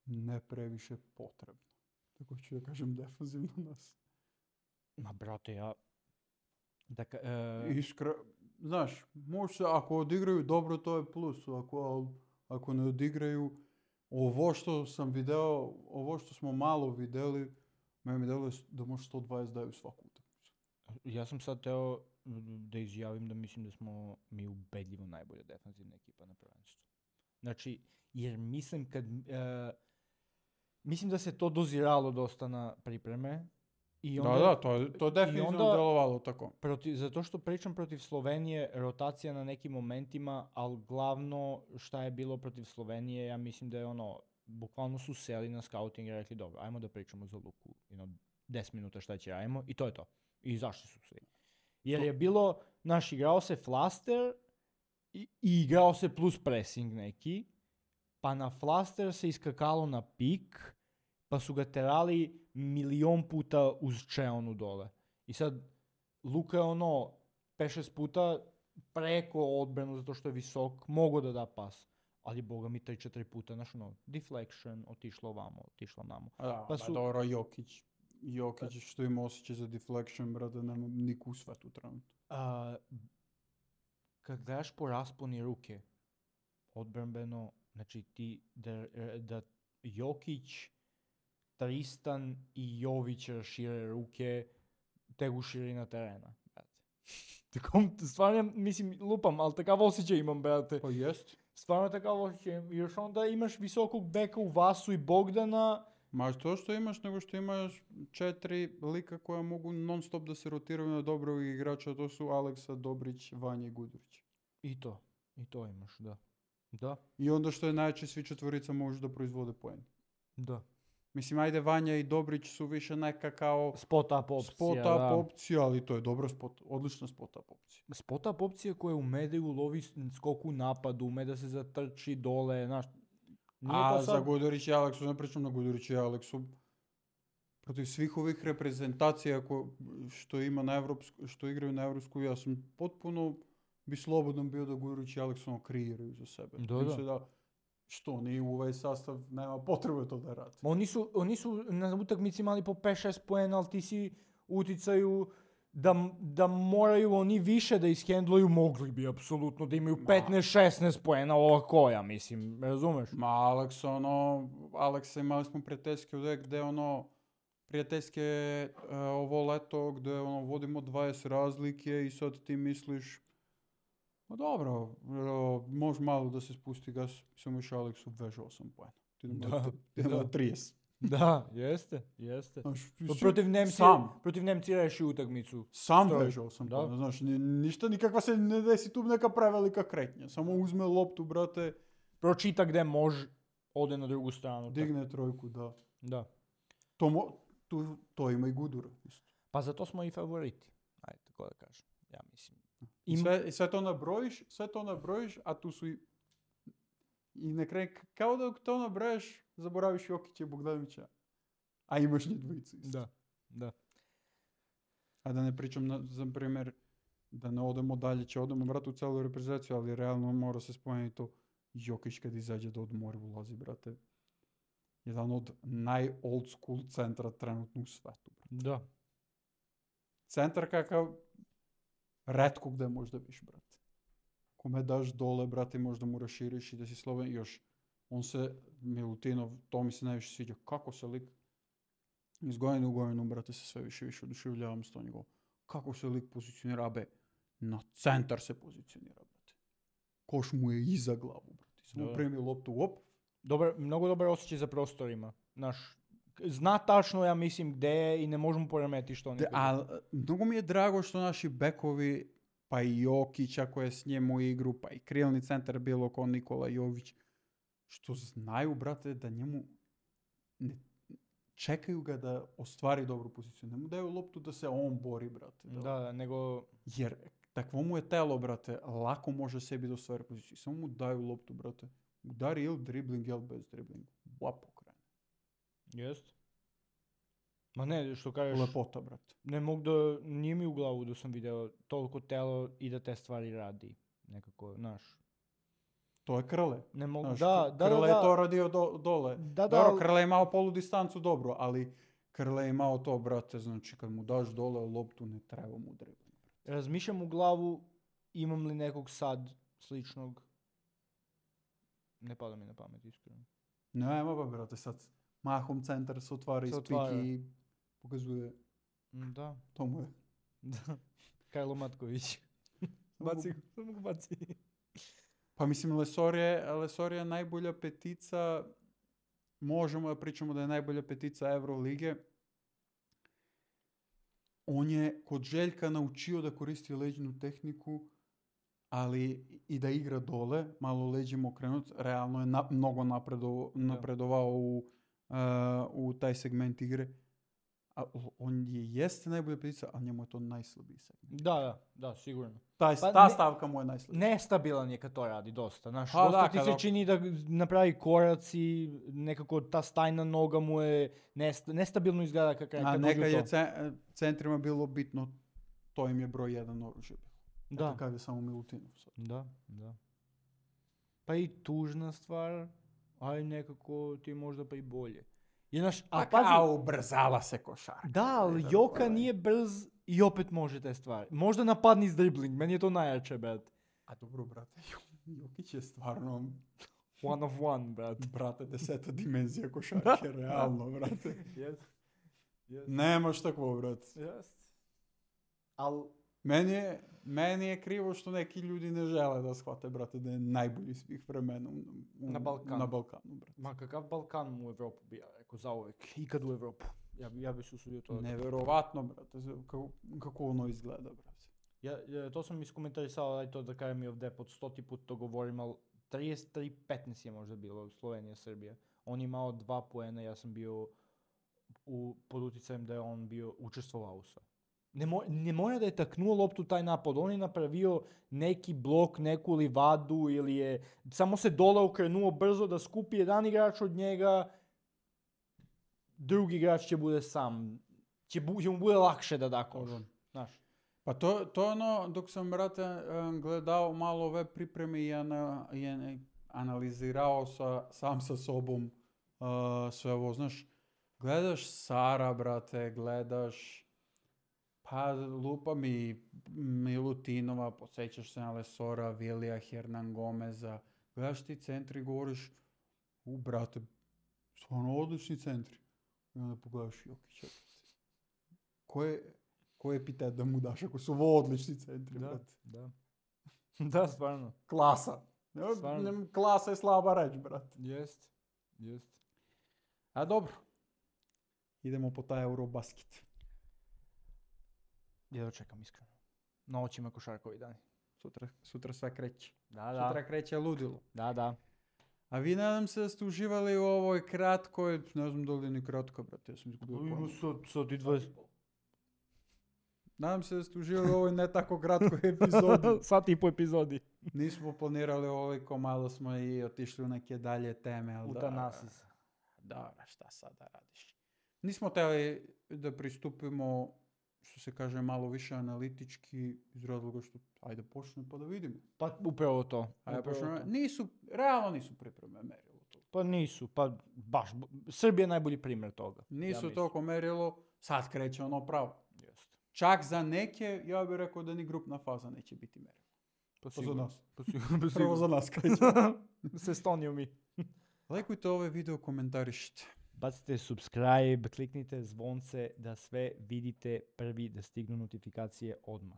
A: ne previše potrebno. Tako ću da kažem defanzivno nas.
B: Ma, brate, ja... Da ka, e,
A: Iskra, znaš, može se, ako odigraju dobro, to je plus, ako, al- ako ne odigraju, ovo što sam video, ovo što smo malo videli, Мене ми делuje да може сто дваесет дaju svaku utakmicu.
B: Ja sam sad teo da izjavim da mislim da smo mi ubedljivo najbolja defanzivna ekipa na prvenstvu. Znači, jer mislim kad... Uh, mislim da se to doziralo dosta na pripreme. I onda,
A: da, da, to je, to je definitivno
B: onda,
A: delovalo tako.
B: Protiv, zato što pričam protiv Slovenije, rotacija na nekim momentima, ali glavno šta je bilo protiv Slovenije, ja mislim da je ono, bukvalno su seli na scouting i rekli, dobro, ajmo da pričamo za Luku, you know, deset minuta šta će ajmo, i to je to. I zašli su svi. Jer je bilo, naš, igrao se flaster i, i igrao se plus pressing neki, pa na flaster se iskakalo na pik, pa su ga terali milion puta uz čeonu dole. I sad, Luka je ono, pet šest puta preko odbranu zato što je visok, mogo da da pas. Ali boga mi tri četiri puta, znaš ono, deflection, otišlo ovamo, otišlo namo.
A: A da,
B: pa
A: su...
B: su...
A: dobro, Jokić. Jokić što ima osjećaj za deflection, brate, nema niku u svetu trenutno.
B: A, kad gledaš po rasponi ruke, odbrambeno, znači ti, da, da Jokić, Tristan i Jović rašire ruke, tegu širina terena, brate. Tako, stvarno, mislim, lupam, ali takav osjećaj imam, brate.
A: Pa jest.
B: Stvarno takav osjećaj, još onda imaš visokog beka u Vasu i Bogdana.
A: Ma to što imaš, nego što imaš četiri lika koja mogu non stop da se rotiraju na dobrog igrača, to su Aleksa, Dobrić, Vanja i Gudurić.
B: I to, i to imaš, da. Da.
A: I onda što je najče, svi četvorica možeš da proizvode poen.
B: Da.
A: Mislim, ajde, Vanja i Dobrić su više neka kao...
B: Spot-up opcija,
A: spot-up
B: da.
A: opcija, ali to je dobra spot, odlična spot-up opcija.
B: Spot-up opcija koja ume da ulovi skoku napadu, ume da se zatrči dole, znaš.
A: A
B: sad...
A: za Gudurić i Aleksu, ne pričam na Gudurić i Aleksu, protiv svih ovih reprezentacija ko, što, ima na Evropsku, što igraju na Evropsku, ja sam potpuno bi slobodno bio da Gudurić i Aleksu kreiraju za sebe.
B: Da, da.
A: Mislim da što oni u ovaj sastav nema potrebe to da radi.
B: Oni su, oni su na utakmici imali po pet šest poena, ali ti si uticaju da, da moraju oni više da ishendluju, mogli bi apsolutno da imaju petnaest šesnaest poena ovako, ja mislim, razumeš?
A: Ma Aleks, ono, Aleksa imali smo prijateljske ovdje gde ono, prijateljske uh, ovo leto gde ono, vodimo dvadeset razlike i sad ti misliš, ma dobro, uh, može malo da se spusti gas, samo još Aleksu veže osam poena. Ti
B: da,
A: ima trideset.
B: Da, jeste, jeste.
A: Znaš,
B: protiv Nemci,
A: sam.
B: Protiv Nemci reši utakmicu.
A: Sam
B: Stroj.
A: veže osam poena, znaš, ni, ništa, nikakva se ne desi tu neka prevelika kretnja. Samo uzme loptu, brate.
B: Pročita gde može, ode na drugu stranu.
A: Digne tako. Trojku, da.
B: Da.
A: To, mo, tu, to ima i Gudura, isto.
B: Pa zato smo i favoriti, ajde, tako da kažem, ja mislim.
A: I sve, i sve to nabrojiš, sve to nabrojiš, a tu su i, i na kraju, kao da to nabrojiš, zaboraviš Jokića i Bogdanovića, a imaš njih dvojicu isto.
B: Da, da.
A: A da ne pričam, na, za primjer, da ne odemo dalje, će odemo brate u celu reprezentaciju, ali realno mora se spomenuti to, Jokić kad izađe da odmori ulazi, brate. Jedan od naj-old school centra trenutno u svetu, brate.
B: Da.
A: Centar kakav retko gde možda viš, brate. Kome daš dole, brate, možda mu raširiš i da si sloven. Još, on se, Milutinov, to mi se najviše sviđa. Kako se lik, iz godine u godinu, brate, se sve više više oduševljavam s to njegov. Kako se lik pozicionira, abe, na centar se pozicionira, brate. Koš mu je iza glavu, brate. Samo primi loptu, op.
B: Dobar, mnogo dobar osjećaj za prostorima. Naš, zna tačno, ja mislim, gde je i ne možemo poremeti što oni.
A: A mnogo mi je drago što naši bekovi, pa i Jokić, ako je s njemu u igru, pa i krilni centar bilo kao Nikola Jović, što znaju, brate, da njemu ne čekaju ga da ostvari dobru poziciju. Ne mu daju loptu da se on bori, brate. Da,
B: da, da nego...
A: Jer takvo mu je telo, brate, lako može sebi da ostvari poziciju. Samo mu daju loptu, brate. Udari ili dribling, ili bez driblinga. Lap okrene.
B: Jest. Ma ne, što kažeš...
A: Lepota, brate.
B: Ne mogu da... Nije mi u glavu da sam video toliko telo i da te stvari radi. Nekako, znaš.
A: To je Krle.
B: Ne mogu,
A: znaš,
B: da, da,
A: Krle
B: da,
A: je to radio do, dole.
B: Da, da,
A: dobro, Krle je imao polu distancu, dobro, ali Krle je imao to, brate, znači kad mu daš dole loptu, ne treba mu dribling.
B: Razmišljam u glavu, imam li nekog sad sličnog. Ne pada mi na pamet, iskreno.
A: Nema ba, brate, sad mahom centar se otvara iz piki. Показує,
B: М, Да.
A: то му е.
B: Да. Кайло Маткович. Баци го, само го баци.
A: Па мислим, Лесор е, Лесор е најбоља петица, можемо да причамо да е најбоља петица Евролиге. Он е код Željka научио да користи леđnu технику, ali и да игра доле, мало леđем окренут, реално е на, много напредо, напредовao u, uh, u taj segment igre. A on je jeste najbolja ptica, ali njemu je to najslabiji segment.
B: Да, да, да, сигурно.
A: Taj,
B: Pa
A: ta
B: ne-
A: stavka mu je najslabija.
B: Nestabilan je kad to radi dosta, znaš,
A: Pa
B: dosta
A: da,
B: ti
A: kada-
B: se čini da napravi koraci, nekako ta stajna noga mu je nest- nestabilno izgleda kad, kad
A: A
B: dođe
A: neka
B: u
A: je
B: to.
A: ce- centrima bilo bitno, to im je broj jedan oružje bilo.
B: Da,
A: Kakav je samo Milutinov sad.
B: da, da. Pa i tužna stvar, ali nekako ti je možda pa i bolje. I znaš, a
A: Pa
B: pazi,
A: kao ubrzala se košarka.
B: da, ali
A: Da,
B: Joka
A: ovaj.
B: nije brz i opet može te stvari. Možda napadni s dribling, meni je to najjače, brat.
A: A dobro, brate, Jokić je stvarno,
B: One of one, brat.
A: brate, deseta dimenzija košarke, realno, brate.
B: Yes. Yes.
A: Nemaš takvo, brate.
B: Yes. Al,
A: Meni je, meni je krivo što neki ljudi ne žele da shvate, brate, da je najbolji svih vremena u, u-
B: Na Balkanu.
A: Na Balkanu, brate.
B: ma kakav Balkan u Evropu bi ja rekao, zauvek. Ikad u Evropu. Ja, bi- ja bi se usudio to. da-
A: Neverovatno, brate, za- kako, kako ono izgleda, brate.
B: Ja, ja, to sam iskomentarisao, aj to da kažem i ovdje, pod stoti put to govorim, ali trideset tri petnaest je možda bilo, Slovenija, Srbija. On je imao dva poena, ja sam bio u, pod uticajem da je on bio učestvovao u sve. Ne, mo, ne mora da je taknuo loptu taj napad, on je napravio neki blok, neku livadu ili je samo se dole okrenuo brzo da skupi jedan igrač od njega, drugi igrač će bude sam, će, bu, će mu bude lakše da da koš, znaš.
A: Pa to, to je ono, dok sam, brate, em, gledao malo ove pripreme i, ana, i ana- analizirao sa, sam sa sobom uh, sve ovo, znaš, gledaš Sara, brate, gledaš, pa lupa mi Milutinova, podsjećaš se na Lesora, Vilija, Hernan Gomeza, gledaš ti centri i govoriš, u, brate, stvarno odlični centri. I onda pogledaš Jokića, brate. Koje, koji epitet da mu daš ako su ovo odlični centri, brate?
B: Da. Da, stvarno.
A: Klasa. Ne,
B: Stvarno.
A: ne, klasa je slaba reč, brate.
B: Jest. Jest.
A: A dobro. Idemo po taj Eurobasket.
B: Jedva čekam iskreno. Na očima košarkovi dani.
A: Sutra, sutra sve kreće.
B: Da, da.
A: Sutra kreće ludilo.
B: Da, da.
A: A vi nadam se da ste uživali u ovoj kratkoj, ne znam da li je ni kratka, brate, ja sam izgubio pojma.
B: sad i dvadeset.
A: Nadam se da ste uživali u ovoj ne tako kratkoj epizodi.
B: Sat i po epizodi.
A: Nismo planirali ovoliko, malo smo i otišli u neke dalje teme. Ali da,
B: Utanasis.
A: Dobro, šta sad da radiš? Nismo htjeli da pristupimo, što se kaže, malo više analitički iz razloga što, ajde počne pa da vidimo.
B: Pa upravo to.
A: Ajde
B: upravo
A: počnemo.
B: to.
A: Nisu, realno nisu pripreme merilo to.
B: Pa nisu, pa baš. Srbija je najbolji primjer toga.
A: Nisu
B: mislim.
A: toliko merilo, sad kreće ono pravo.
B: Jest.
A: Čak za neke, ja bih rekao da ni grupna faza neće biti merilo.
B: Pa
A: za nas.
B: Pa sigurno. Pa
A: Prvo za nas kreće.
B: S Estonijom i.
A: Lajkujte ovaj video, komentarišite.
B: Bacite subscribe, kliknite zvonce da sve vidite prvi, da stignu notifikacije odmah.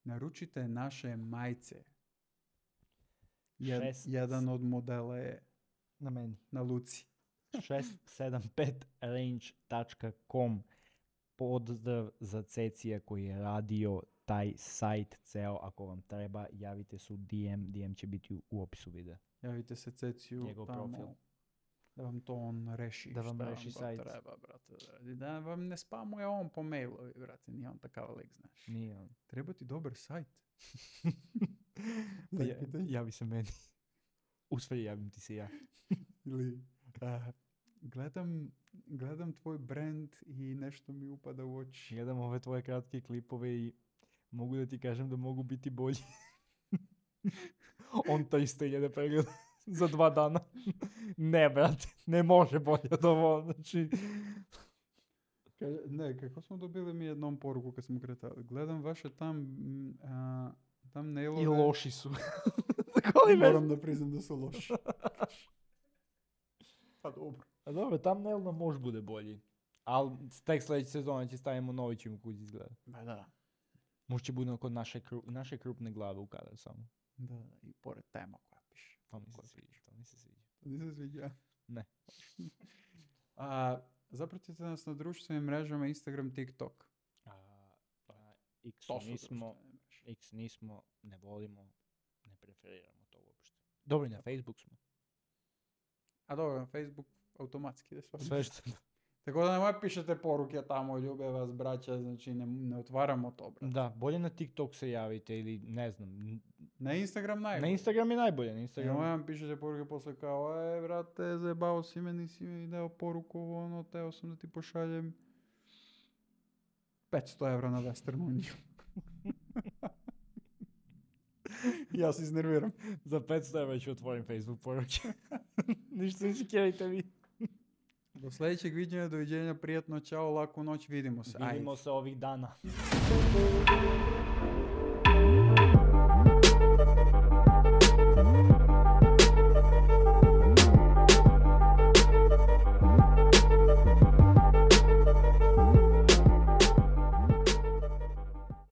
A: Naručite naše majice. Jed-
B: Šest-
A: jedan od modela je
B: Na meni.
A: na Luci.
B: šest sedam pet range tačka com. Pozdrav za Cecija koji je radio taj sajt ceo. Ako vam treba, javite se u D M. D M će biti u, u opisu videa.
A: Javite se Ceciju
B: Njegov
A: tamo.
B: profil.
A: Da vam to on reši.
B: Da vam
A: šta
B: reši
A: to
B: sajt.
A: treba, brate. da radi. Da vam ne spamuje on po mailovi, brate. Nije on takav lik, znaš.
B: Nije on.
A: Treba ti dobar sajt.
B: Pa ja,
A: Zapitaj.
B: javi se meni. U sve javim ti se ja.
A: Ili, a, gledam, gledam tvoj brand i nešto mi upada u oči.
B: Gledam ove tvoje kratke klipove i mogu da ti kažem da mogu biti bolji. On to isto jede pregled za dva dana. Ne, brate, ne može bolje od ovo. Znači,
A: Kaže, ne, kako smo dobili mi jednom poruku kad smo kretali. Gledam vaše tam, mm, a, tam nailove.
B: i loši su. Tako li
A: Moram da priznam da su loši. Pa dobro.
B: A dobro, thumbnail nam može bude bolji. Ali tek sljedeće sezone će stavimo novi čim kući izgleda.
A: Ba da.
B: Možda će bude kod naše, kru, naše krupne glave u kadar samo.
A: Da, da, i pored tema koja piše.
B: To mi se sviđa, to mi se sviđa.
A: To ti se sviđa?
B: Ne.
A: A, zapratite nas na društvenim mrežama Instagram, TikTok.
B: A, a, X
A: To su
B: nismo,
A: društvene mreže.
B: X nismo, ne volimo, ne preferiramo to uopšte. Dobro, i na Facebook smo.
A: A dobro, na Facebook automatski da sve.
B: Sve što...
A: Tako da nemoj pišete poruke tamo, ljube vas braća, znači ne, ne otvaramo to, brate.
B: Da, bolje na TikTok se javite ili ne znam. n-
A: Na Instagram
B: Na
A: najbolje.
B: Instagram je najbolje, na
A: Instagram.
B: Instagram.
A: Nemoj vam pišete poruke posle kao, e, brate, zajebao si me, nisi mi dao poruku, ovo, ono, teo sam da ti pošaljem petsto evra na Western Union. Ja se iznerviram.
B: Za petsto evra ću otvorim Facebook poruke. Ništa ne sikirajte vi.
A: Do sljedećeg viđenja, doviđenja, prijatno, čao, laku noć, vidimo se.
B: Vidimo
A: Ajde.
B: se ovih dana.